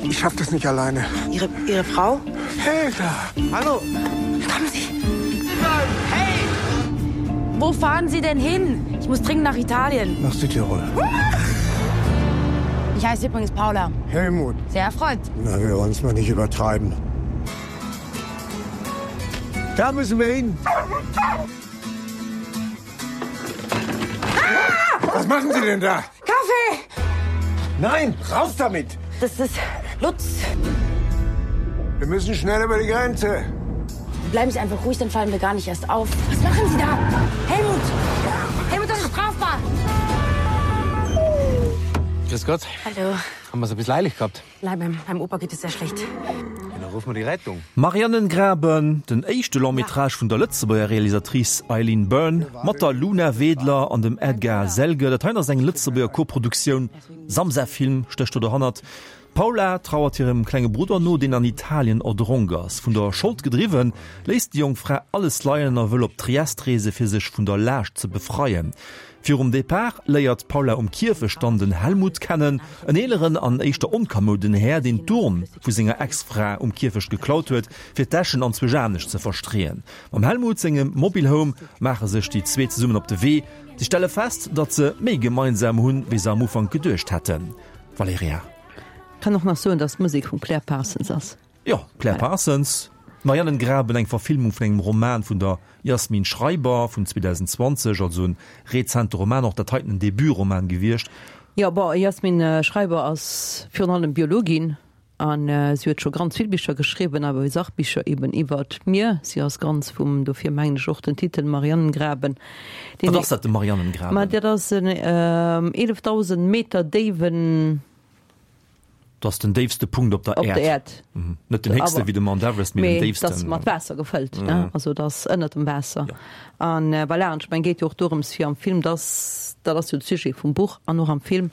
Ich schaffe das nicht alleine.
Ihre, Ihre Frau?
Helga!
Hallo! Kommen Sie! Hey! Wo fahren Sie denn hin? Ich muss dringend nach Italien.
Nach Südtirol.
Ich heiße übrigens Paula.
Helmut.
Sehr erfreut.
Na, wir wollen es mal nicht übertreiben. Da müssen wir hin.
Ah!
Was machen Sie denn da?
Kaffee!
Nein, raus damit!
Das ist Lutz.
Wir müssen schnell über die Grenze.
Bleiben Sie einfach ruhig, dann fallen wir gar nicht erst auf. Was machen Sie da? Helmut! Helmut, das ist strafbar!
Grüß Gott.
Hallo.
Haben wir es ein bisschen eilig gehabt?
Nein, meinem, meinem Opa geht es sehr schlecht.
Ja, dann rufen wir die Rettung.
Marianengraben, den éischte Long-métrage vun der Lëtzebuerger Realisatrice Eileen Byrne mat der Luna Wedler an dem Edgar Selge. Dat hei ass eng Lëtzebuerger Koproduktioun. Samsa Film stécht do dohannert. D'Paula trauert hirem klenge Brudder no, deen an Italien erdronk ass. Vun der Schold gedriwwen, léisst déi jonk Fra alles leien a wëll op Triest reese fir sech vun der Laascht ze befreien. Virum Depart léiert d'Paula um Kierfecht dann den Helmut kennen, en eeleren an éischter onkamouden Här, deen d'Urn vu senger Ex-Fra um Kierfecht geklaut huet, fir d'Äschen anzwousch anescht ze verstreeën. Mam Helmut sengem Mobilhome maache sech déi zwee zesummen op de Wee. Si stelle fest, datt se méi gemeinsam hunn, wéi se am Ufank geduecht hätten. Valerija.
Kann och nach soen, dass d'Musek vum Claire Parsons ass.
Jo, Claire Parsons, Marianengraben, eng Verfilmung vun engem Roman vun der Jasmin Schreiber vun zweedausendzwanzeg, also en rezente Roman, och dat heiten en Debutroman gewiescht.
Jo, bon, Jasmin Schreiber ass virun allem Biologin an si huet scho ganz vill Bicher geschriwwen, awer Sachbicher eben iwwert d'Mier. Si ass ganz vum, dofir mengen ech och den Titel Marianengraben.
Wat ass dat, de Marianengraben?
Ma dat ass en eelefdausend Meter déiwen.
Dat ass den déifste Punkt op der
Op der
Äerd.
Äerd.
Mhm. Net den héchste wéi de Mount Everest, mee den
Mee
déifsten.
dat ass mat Waasser gefëllt, ne?
Mhm.
Also dat ass ënnert dem Waasser.
Ja.
An voilà, an ech meng, geet jo och dorëms fir am Film, dass, dat ass jo de Sujet vum Buch an och am Film,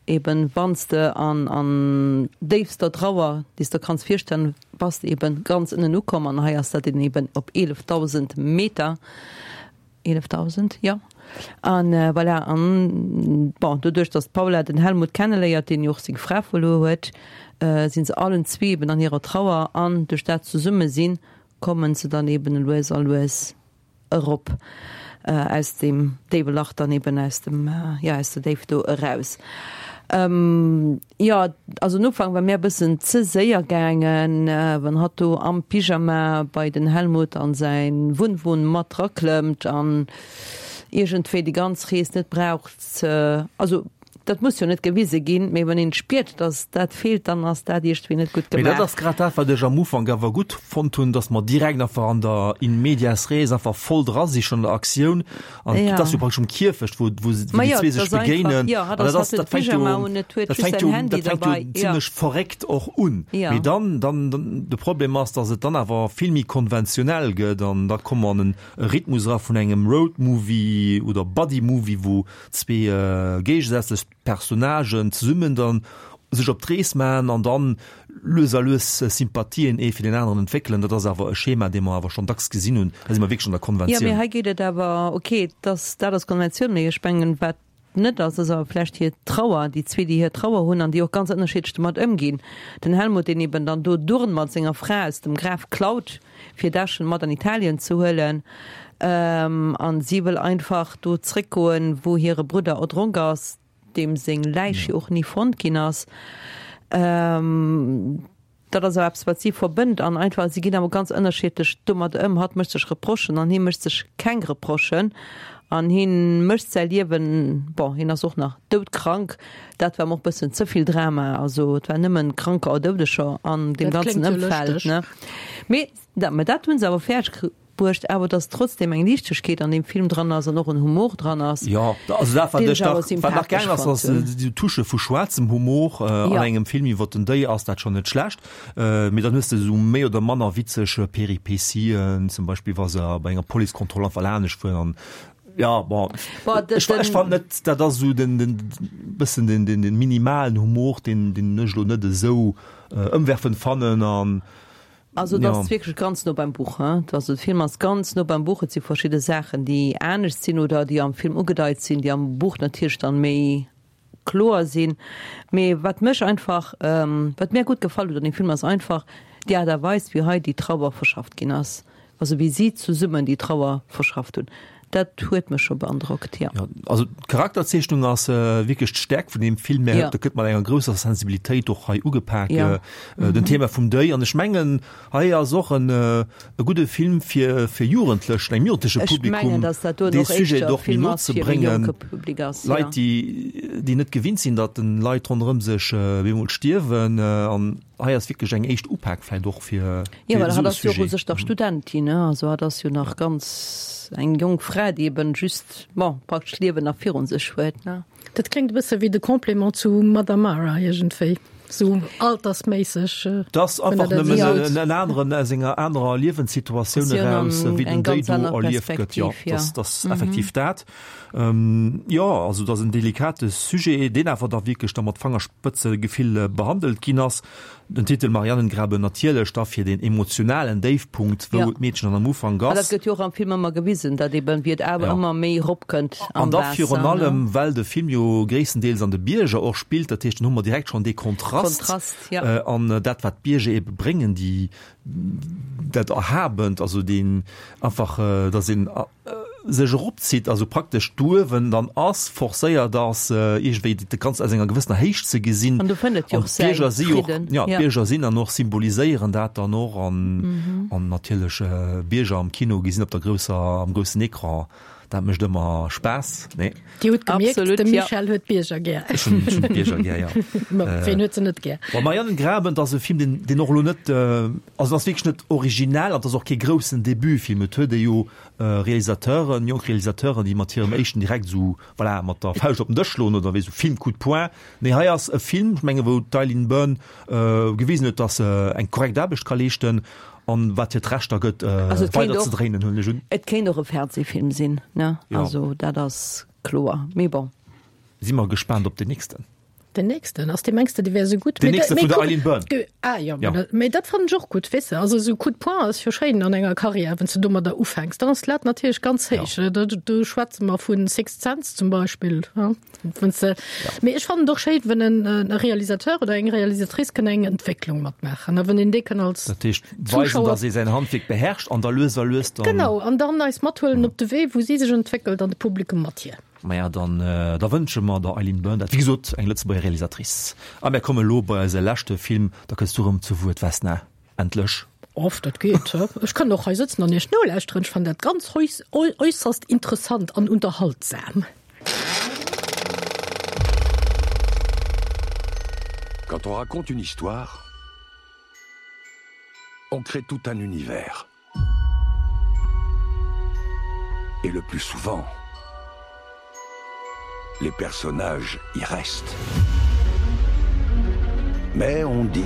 eben wann s de an an déifster Trauer, déi s de kanns virstellen, bass de eben ganz ënnen ukomm an hei ass dat eben op eelefdausend Meter, eelefdausend, jo. An voilà, an bon, doduerch datt d'Paula den Helmut kenneléiert, deen jo och seng Fra verluer huet, sinn se allen zwee eben an hirer Trauer an duerch dat Zesummesinn kommen se dann eben lues a lues erop aus deem déiwe Lach dann eben aus dem, jo, aus der Déift do eraus. Jo, also den Ufank war mär e bëssen ze séier gaangen, wann hatt do am Pyjama bei den Helmut an säin Wunnwon mat draklëmmt an iergendwéi déi ganz Rees net braucht ze, also dat muss jo net gewise ginn, mee wann een spiert, dass dat feelt, dann ass dat iergendwéi net gutt
Mee dat
gemaach.
ass grad dat, wat ech am Ufank awer gutt fonnt hunn, dass mer direkt einfach an der in medias res einfach voll dra si schonn an der Aktioun. An
Ja.
et ass jo praktesch um Kierfecht, wou, wou, wou
Ma
déi
jo,
zwee
et
sech
ass einfach,
begéinen.
jo, hatt
An
ass,
dat ass,
hatt huet
dat fänkt
Pyjama
jo,
un, et huet
dat
just
fänkt
säin
jo,
Handy
dat fänkt jo
derbei, ja.
zimlech verréckt och un.
Ja.
Mee dann, dann, dann, de Problem ass, dass et dann awer vill méi konventionell gëtt an da komme mer an en Rhythmus era vun engem Roadmovie oder Buddy-Movie, wou zwee géigesätzlech Personnagen zesummen dann sech op d'Rees maachen an dann lues a lues Sympathien ee fir deen aneren entwéckelen. Dat ass awer e Schema, dee mer awer schonn dacks gesinn hunn. Da si mer wierklech an der
Jo, mee
Konventioun.
hei geet et awer, okay, dass dat ass Konventioun, mee ech mengen, wat net ass, ass awer vläicht hir Trauer, déi zwee, déi hir Trauer hunn an déi och ganz ënnerschiddlech domat ëmginn. Den Helmut, deen eben dann do d'Urn mat senger Fra aus dem Graf klaut, fir d'Äschen mat an Italien ze huelen, an si wëll einfach do zréckgoen, wou hire Brudder erdronk ass, deem seng Läich jo och ni fonnt ginn ass. Dat ass awer eppes, wat si verbënnt an einfach, si ginn awer ganz ënnerschiddlech domat ëm. Hatt mécht sech Reprochen an hie mécht sech keng Reprochen an hie mécht säi Liewen, bon, hien ass och nach doudkrank, dat war em och bëssen ze vill Drama, also et war nëmmen Kranker a Doudeger an deem
Dat
ganzen
kléngt jo
Ëmfeld,
lëschteg.
ne. Mee dat, mä dat hu se awer fäerdeg bruecht, awer dass trotzdem eng Liichtegkeet an deem Film dran ass an och en Humor dran ass,
Jo, also dat, wat
deen
ech
ech awer
nach, wat nach
sympathesch
gaangen ass,
fonnt
ass
hunn.
déi Touche vu schwaarzem Humor an
Ja.
engem Film iwwer den Deuil ass dat schonn net schlecht. Mee dann hues de esou méi oder manner witzeg Peripetien, zum Beispill wa se bei enger Policekontroll einfach lanescht fueren an ja, bon,
Bon, de,
ech, ech
den,
fand net, dat ass esou den, den bëssen den, den, den minimalen Humor, deen, deen ech elo net esou ëmwerfend fannen an
Also et
ja.
ass wierklech ganz no beim Buch, hein. Also de Film ass ganz no beim Buch. Et si verschidde Saachen, déi anescht sinn oder déi am Film ugedeit sinn, déi am Buch natierlech dann méi kloer sinn. Mee wat mech einfach, wat mär gutt gefall huet an deem Film ass einfach déi Aart a Weis, wéi hei déi Trauer verschafft ginn ass. Also wéi si zesummen déi Trauer verschafft hunn. Dat huet mech scho beandrockt, jo.
Jo, also d'Charakterzeechnung ass wierklech d'Stäerkt vun deem Film. Mä
Jo.
dat gëtt mat enger grousser Sensibilitéit och hei ugepak,
Jo.
den Thema vum Deuil. An ech mengen, hei ass och en e gudde Film fir fir Jugendlech, engem jugendleche
Ech mengen,
Publikum
datt dat doen
dee
och
Sujet
éischter
och méi
Film
no
ass
ze
fir e
bréngen.
jonke Public ass, jo.
Leit, déi déi net gewinnt sinn, datt den Leit ronderëm sech bemol stierwen. An hei ass wierklech eng éischt Upak vläicht och fir
Jo,
fir
well
esou
hatt
e
ass jo och u
Sujet.
sech nach Studentin, ne? Also hatt ass jo nach ganz. Eng jonk Fra, déi eben just, bon, praktesch d'Liewen nach virun sech huet, ne?
Dat kléngt e bësse wéi de Complément zu Mother Mara iergendwéi, sou altersméisseg.
Dat ass
Wann
einfach
der dat
nëmmen
sot.
en aneren aus enger anerer Liewenssituatioun eraus, wéi den
Eng
Deuil
ganz
do
aner
erlieft gëtt. Jo,
Perspektiv, jo.
dat ass effektiv dat. Jo, also dat ass en delikate Sujet, deen awer da wierklech da mat Fangerspëtzegefill behandelt ginn ass. Den Titel Marianengraben natierlech da fir den emotionalen Déifpunkt, wou
Ja.
d'Meedchen dann am Ufank
An dat
ass.
gëtt jo och am Film ëmmer gewisen, datt eben, wéi et awer
Ja.
ëmmer méi eropkënnt am
An da
Waasser,
virun
ne?
allem, well de Film jo gréisstendeels an de Bierger och spillt, dat heescht, dann hu mer direkt schonn dee Kontrast.
Kontrast, ja.
An dat, wat d'Bierger ebe bréngen, déi, dat Erhabent, also deen einfach, datt een sech eropzitt, also praktesch d'Uewen dann ass, forcéiert ass, iergendwéi dat Ganzt aus enger gewëssener Héicht ze gesinn.
An do fënnt et jo
An
och säi
d'Bierger si och,
Fridden.
ja,
Ja.
d'Bierger sinn an och symboliséieren dat dann och an, an natierlech Bierger am Kino gesinn op der grousser, am groussen Ecran, dat mécht ëmmer Spaass, nee?
Dir hutt gemierkt,
Absolut,
de
ja.
Michel huet d'Bierger gär.
Ech hunn, ech hunn d'Bierger gär, ja.
Ma ween huet se net gär?
Bon, Marianengraben, dat ass e Film, deen, deen och elo net, also en ass wierklech net originell an et ass och kee groussen Debutfilm. Et huet ee jo Realisateuren, jonk Realisateuren, déi mat hirem éischten direkt esou, voilà, mat der Fauscht op den Dësch schloen oder wéi esou Film coup de poing. Nee, hei ass e Film, ech menge wou d'Eileen Byrne gewisen huet, datt se eng korrekt Aarbecht ka leeschten an wat hir d'Recht da gëtt,
Also et kéint
weider
och,
ze dréinen, huelen ech un.
et kéint och e Fernsehfilm sinn, ne?
Jo.
Also dat ass kloer. Mee bon.
Si mer gespaant op den nächsten.
Den nächsten ass dee mengs de dee wär esou gutt?
Den nächste vun der Eileen Byrne.
Ah jo, mee dat fannen ech och gutt, weess de. Also esou Coup de poing ass jo schéin an enger Karriär, wann s de domadder ufänks, dann ass d'Lat natierlech ganz héich. Do schwätze mer vu Sixth Sense zum Beispill, wann s de. Mee ech fannen et och schéin, wann en Realisateur oder eng Realisatrice kënn eng Entwécklung matmaachen a wann een déi kënn als
Dat heescht weisen, datt ee säin Handwierk beherrscht an da lues a lues dann.
Genau, an dann eis mathuelen op de Wee, wou si sech entwéckelt an de Publikum mat hir.
Maja, dann da wënsche mer der Eileen Byrne dat. Wéi gesot, eng Lëtzebuerger Realisatrice. A mär komme lo bei eise leschte Film. Da kënns du erëm zu Wuert, Vesna. Endlech.
Oft, dat geet. Ech kann och hei sëtzen an Iech nolauschteren. Ech fannen dat ganz äusserst interessant an unterhaltsam.
Quand on raconte une histoire, on crée tout un univers. Et le plus souvent, les personnages y restent. Mais on dit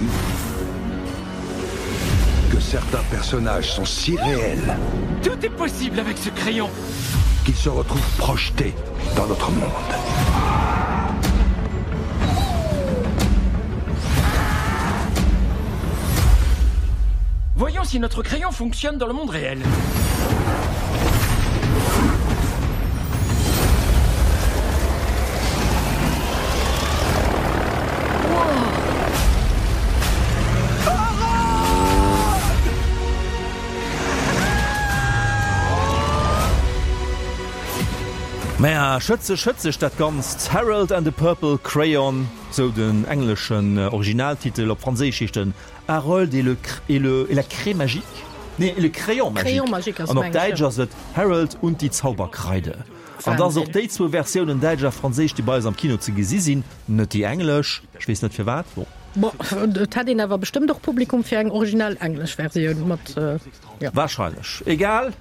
que certains personnages sont si réels.
Tout est possible avec ce crayon
qu'ils se retrouvent projetés dans notre monde.
Voyons si notre crayon fonctionne dans le monde réel.
Maja, schëtzeg, schëtzeg dat Ganzt. Harold and the Purple Crayon, sou den engleschen Originaltitel. Op Franséisch heescht en Harold et le, et le, et la craie magique? Nee, et le crayon magique.
Crayon magique ass
An op
mengen ech,
Däitsch
jo.
ass et Harold und die Zauberkreide. An dass och
Wahnsinn.
déi zwou Versiounen, däitsch a franséisch, déi bei eis am Kino ze gesi sinn, net déi englesch. Ech weess net firwat. Bon.
Bon, et hätt een awer bestëmmt och Publikum fir eng originell englesch Versioun mat, jo.
Wahrscheinlech. Egal.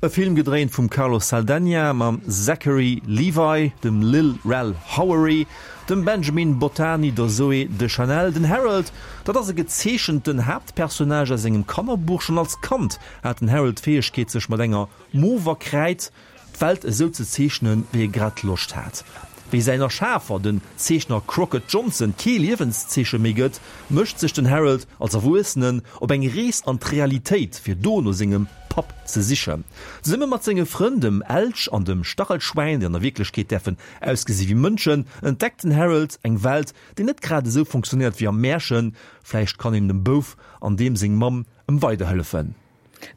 E Film gedréint vum Carlos Saldanha mam Zachary Levi, dem Lil Rel Howery, dem Benjamin Bottani, der Zooey Deschanel. Den Harold, dat ass e gezeechenten Haaptpersonnage aus engem Kannerbuch. Schonn als Kand hat den Harold d'Fäegkeet, sech mat enger mover Kräid d'Welt esou ze zeechnen, wéi e grad Loscht hat. Wéi säin Erschafer, den Zeechner Crockett Johnson, kee Liewenszeeche méi gëtt, mécht sech den Harold als Erwuessenen op eng Rees an d'Realitéit, fir do no sengem Papp ze sichen. Zesumme mat senge Frënn, dem Elch an dem Stachelschwäin, déi an der Wierklechkeet däerfen ausgesi wéi Mënschen, entdeckt den Harold eng Welt, déi net grad esou funktionéiert wéi am Märchen. Vläicht kann een dem Bouf an deem seng Mamm ëm weiderhëllefen.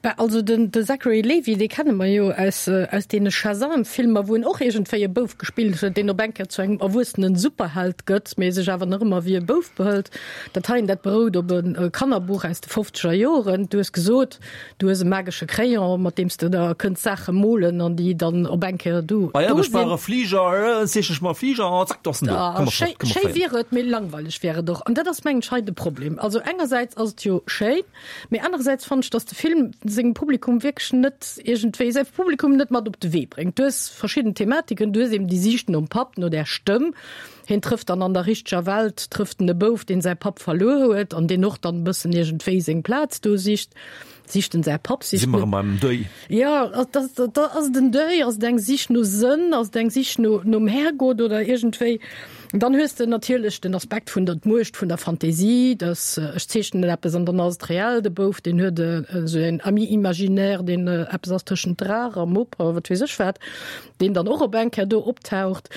Bah, also den de Zachary Levi, dee kenne mer jo aus aus deene Shazam-Filmer, wou en och iergendwéi e Bouf gespillt huet, deen op eng Kéier zu engem erwuessenen Superheld gëtt, mee sech awer nach ëmmer wéi e Bouf behëlt. Dat heien, dat berout op e Kannerbuch aus de fofzeger Joren. Du hues gesot, du hues e magesche Crayon, mat deem s de da kënns Saache molen an déi dann op eng Kéier do
Ah ja,
do
ech brauch
sinn.
e Fliger, äh, zeechne ech mer e Fliger, an zack, do ass en do.
Ah,
Komm mer
schéi,
fort, komm mer
schéi
fléien.
wier et, mee langweileg wier et och. An dat ass, mengen ech, hei de Problem. Also engersäits ass et jo schéin, Mee anerersäits fannen ech, dass de Film sengem Publikum wierklech net iergendwéi, säi Publikum net mat op de Wee bréngt. Du hues verschidden Thematiken, du hues eben déi Siicht nom Papp, no där Stëmm. Hien trëfft dann an der richteger Welt trëfft en e Bouf, deen säi Papp verluer huet an deen och dann e bëssen iergendwéi seng Plaz do sicht. Sicht en säi Papp,
Si
sicht
mer
en.
erëm beim Deuil.
Jo, ass et en Deuil, ass et eng Sich no Sënn, ass et eng Sich no nom Herrgott oder iergendwéi. Dann hues de natierlech den Aspekt vun der d'Muecht vun der Fantasie, dass ech zeechnen eppes an dann ass et reell. De Bouf, deen huet esou en Ami imaginaire, deen eppes ass tëschent Draach a Mupp a wat weess ech wat, deen dann och op eng Kéier do optaucht.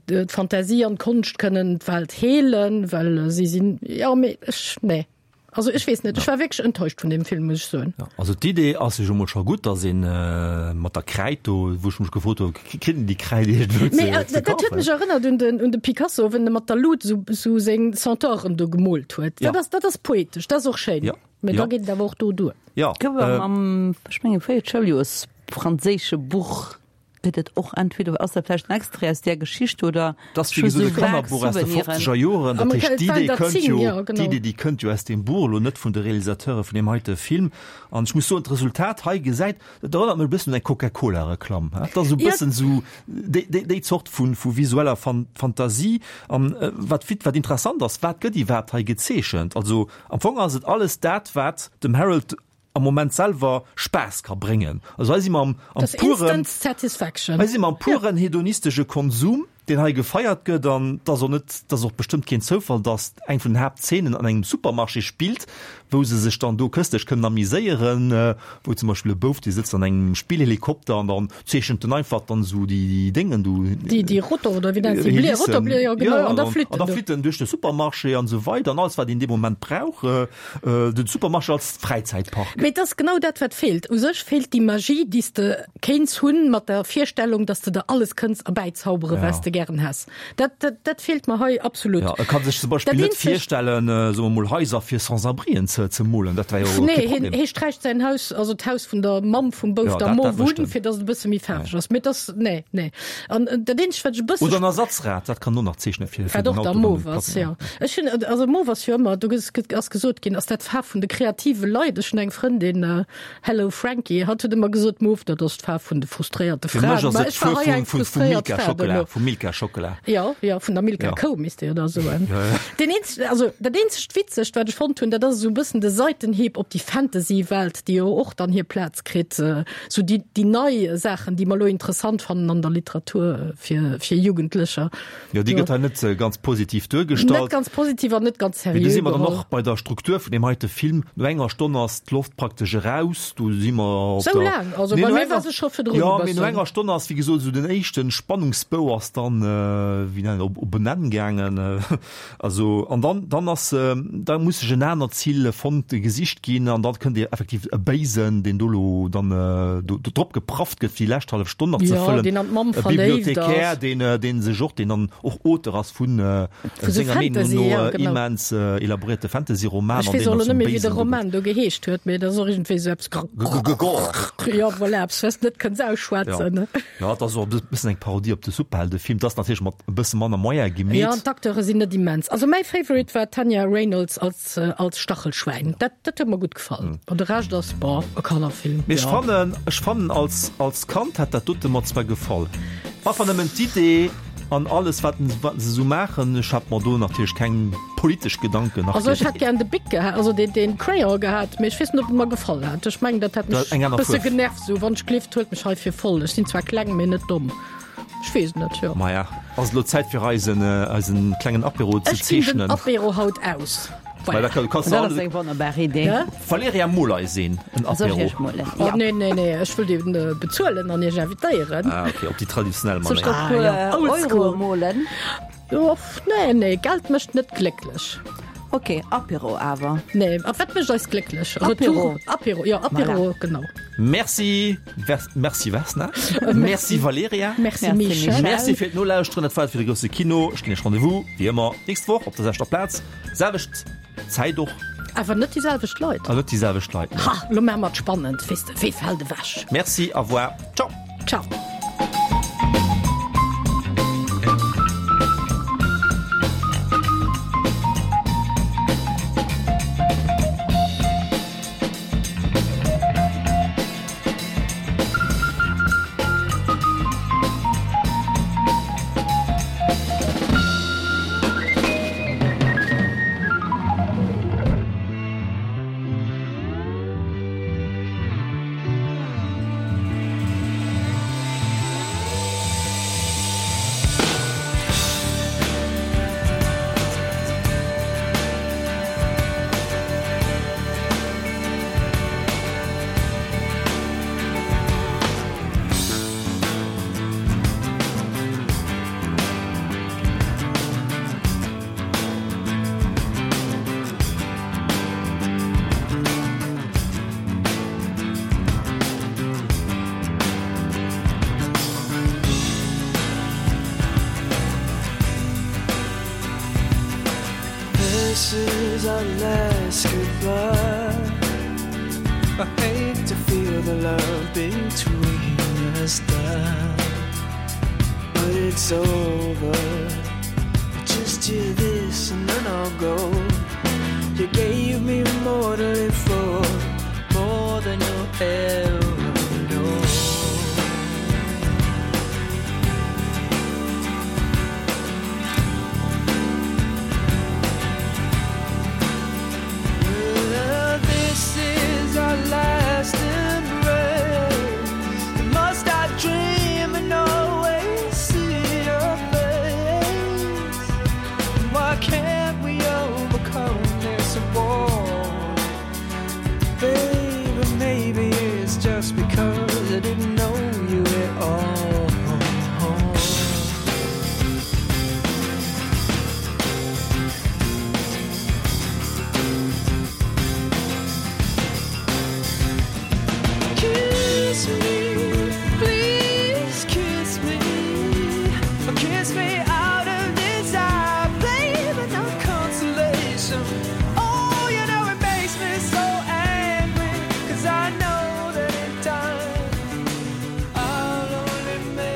D'Fantasie an d'Konscht kënnen d'Welt heelen, well si sinn, jo, mee ech, nee. Also ech weess net, ech war wierklech enttäuscht vun deem Film, muss ech soen.
Ja, also d'Idee ass jo mol scho gutt, dass een mat der Kräid do, wou ech mech gefrot hu, kritt een déi Kräid iergendwou ze
Mee dat huet
kafen?
mech erënnert un den, un de Picasso, wéi en mat der Lut esou, esou seng Centauren do gemoolt huet.
Ja.
Dat ass, dat ass poetesch, dat ass och schéin.
Ja.
Mee da
Ja.
geet et awer och do duer.
Ja,
Gouf am, am, ech mengen, véiert Schouljoers franséische Buch gëtt et och entweder, ass dat vläicht en Extrait aus där Geschicht oder
Dat ass wéi
scho
gesot
sou
e
vag
Kannerbuch aus de
Souveniren.
fofzeger Joren. Dat heescht, d'Idee kënnt jo,
ja, genau.
d'Idee, déi kënnt jo aus deem Buch, elo net vun de Realisateure vun deem heite Film. An ech muss soen, d'Resultat hei gesäit, dat erënnert mech e bëssen un eng Coca-Cola-Reklamm. Dat ass esou e
Ja.
bëssen esou déi, déi, déi Zort vu, vu visueller Fan, Fantasie. An wat, wat interessant ass, wat gëtt iwwerhaapt hei gezeechent? Also am Fong ass et alles dat, wat dem Harold am Moment selwer Spaass ka bréngen. Also hei si mer am, am
Das
puren,
Instant Satisfaction.
hei si mer am puren hedonistesche Konsum. deen hei gefeiert gëtt an et ass och net, et ass och bestëmmt keen Zoufall, dass eng vun den Haaptzeenen an engem Supermarché spillt, wou se sech dann do këstlech kënnen amiséieren, wou zum Beispill e Bouf, dee sëtzt an engem Spillhelikopter an dann zeechent en einfach dann esou déi Déngen do,
Déi, déi Rotor oder wéi nennt se, Bli, Rotorbléier, jo genau, an da flitt
en
en
do. An da flitt en duerch de Supermarché an esou weider an alles wat een dee Moment brauch, den Supermarché als Fräizäitpark.
Mee et ass genau dat wat feelt. U sech feelt déi Magie, déi s de kéints hunn mat der Virstellung, dass de der alles kënns erbäizaubere wat s de gären häss. Dat, dat, dat feelt mer hei absolut.
Ja, e kann sech zum Beispill net virstellen, soe mer mol, Haiser fir Sans-abrien ze, ze molen. Dat wär jo
Nee,
kee
hien,
Problem.
hie sträicht säin Haus, also d'Haus vun der Mamm vum Bouf
Ja,
da
dat,
mov
dat mécht
un,
en.
fir dass et e bësse méi faarweg ass. Mee dass, nee, nee. An dat eenzegt, wat ech e bësse
Oder en Ersatzrad, dat kann en och nach zeechnen fir, fir
Wat
den
och da
Auto, wann
mauve
de
ass,
platt
jo. Ech hunn, also mauve ass jo ëmmer, do gëtt, gëtt, ass gesot ginn, ass dat d'Faarf vun de kreative Leit. Ech hunn eng Frëndin, Hello Frankie, hatt huet ëmmer gesot, mauve, dat ass d'Faarf vun de frustréierte
Fir mech
Fraen.
ass
Ma
et
ech war
d'Fuer
hei eng
vum, vum, vum
frustréiert
Milka
Fra
Schockela,
duerno.
vum Milka Schockela.
Jo, jo, vun der Milka
Ja.
Kou misst de jo da soen.
Ja, ja.
Deen eenzeg, also dat eenzegt Witzegt, wat ech fonnt hunn, dat ass esou e bëssen de Seitenhieb op déi Fantasy-Welt, déi jo och dann hir Plaz kritt, esou déi, déi nei Saachen, déi mer elo interessant fannen an der Literatur fir, fir Jugendlecher.
Jo, déi
Jo.
gëtt hei net ganz positiv
Net
duergestallt.
ganz positiv an net ganz
Mee do
seriö
si mer dann
geholl.
och bei der Struktur vun deem heite Film. No enger Stonn ass d'Loft praktesch eraus, do si mer op
Sou
der
laang? Also
Nee,
bei
no
mir
enger
war se scho virdrun e
Ja, mee no
bëssen.
enger Stonn ass, wéi gesot, esou den éischten Spannungsbou ass dann, wéi nennen, op, op en Enn gaangen. Also, an dann, dann ass, da muss sech en anert Zil fonnt, gesicht ginn an dann kënnt effektiv e Béisen, deen do lo dann do, do drop geprafft gëtt, fir déi lescht hallef Stonn nach ze
Ja,
fëllen.
deen an d'Mamm
E
verléift
Bibliothekär,
ass.
deen, deen sech och, deen dann och Auteur ass vun,
Vu sou
senger Meenung
Fantasy,
no
ja, genau.
immens elaboréierte Fantasy-Roman,
Ech
an
weess
deen
och
dann
elo net
zum
méi, wéi de
Béisen do gëtt.
Roman do geheescht huet, mee dat ass och iergendwéi sou eppes Jo, voilà, eppes, wat s de net kënns ausschwätzen, ne?
Ja, dat ass och e bëssen eng Parodie op de Superheldefilm. Dat ass natierlech mat e bësse manner Moyen gemeet.
Ja, an d'Acteure sinn net immens. Also mäi Favorite war d'Tanya Reynolds als, als Stachelschwein. Dat, dat huet mer gutt gefall. An de Rescht ass, boah, e Kannerfilm.
Mee ech
Ja.
fannen, ech fannen als, als Kand hätt dat dote mer zwar gefall. Einfach nëmmen d'Idee an alles wat, wat se sou maachen. Ech hat mer do natierlech keng politesch Gedanken nach
Also ech hätt gären de Bic gehat, also deen, deen Crayon gehat, mee ech weess net, ob e mer gefall hätt. Ech mengen, dat hätt mech
Eng aner
bësse
Fuerf.
genervt, sou, wann ech gleeft, huelt mech hei fir voll. Ech sinn zwar kleng, mee net domm. Ech weess net, jo.
Maja, ass elo Zäit fir eisen, eisen klengen Apéro ze
Ech ginn den
zeechnen.
Apéro haut aus.
Well da kann, kannst du
Dat ass eng wonnerbar Idee.
Ja?
Valerija, mol eis een, en
Soll ech
Apéro.
iech molen?
Oh,
Ja.
nee, nee, nee, ech wëll deen bezuelen an iech invitéieren.
Ah, okay, op déi traditionell
Soll ech
Manéier.
der puer
Ah, ja. Old
Euro
school.
molen?
Oh, nee, nee, Geld mécht net glécklech.
Ok, Apéro awer.
Nee, a wat mécht eis glécklech?
Apéro.
Retour, Apéro, jo, Apéro,
Voilà.
genau.
Merci, Vers, merci Vesna. Merci Valerija.
Merci,
Merci,
Michel.
Michel.
Merci fir d'Nolauschteren. Dat war et fir de grousse Kino. Ech ginn iech Rendez-vous, wéi ëmmer, d'nächst Woch op der selwechter Plaz, selwecht Zäit och.
Awer net déi selwecht Leit.
An net déi selwecht Leit, nee.
Ha, lo maache mer et spannend, weess de, wee fält ewech?
Merci, au revoir. Ciao.
Ciao.
This is our last goodbye. I hate to feel the love between us die, but it's over. Just hear this and then I'll go. You gave me more to live for, more than you'll ever know. Well, this is our last embrace. Must I dream and always see your face?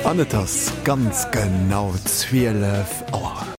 An et ass ganz genau zwielef Auer.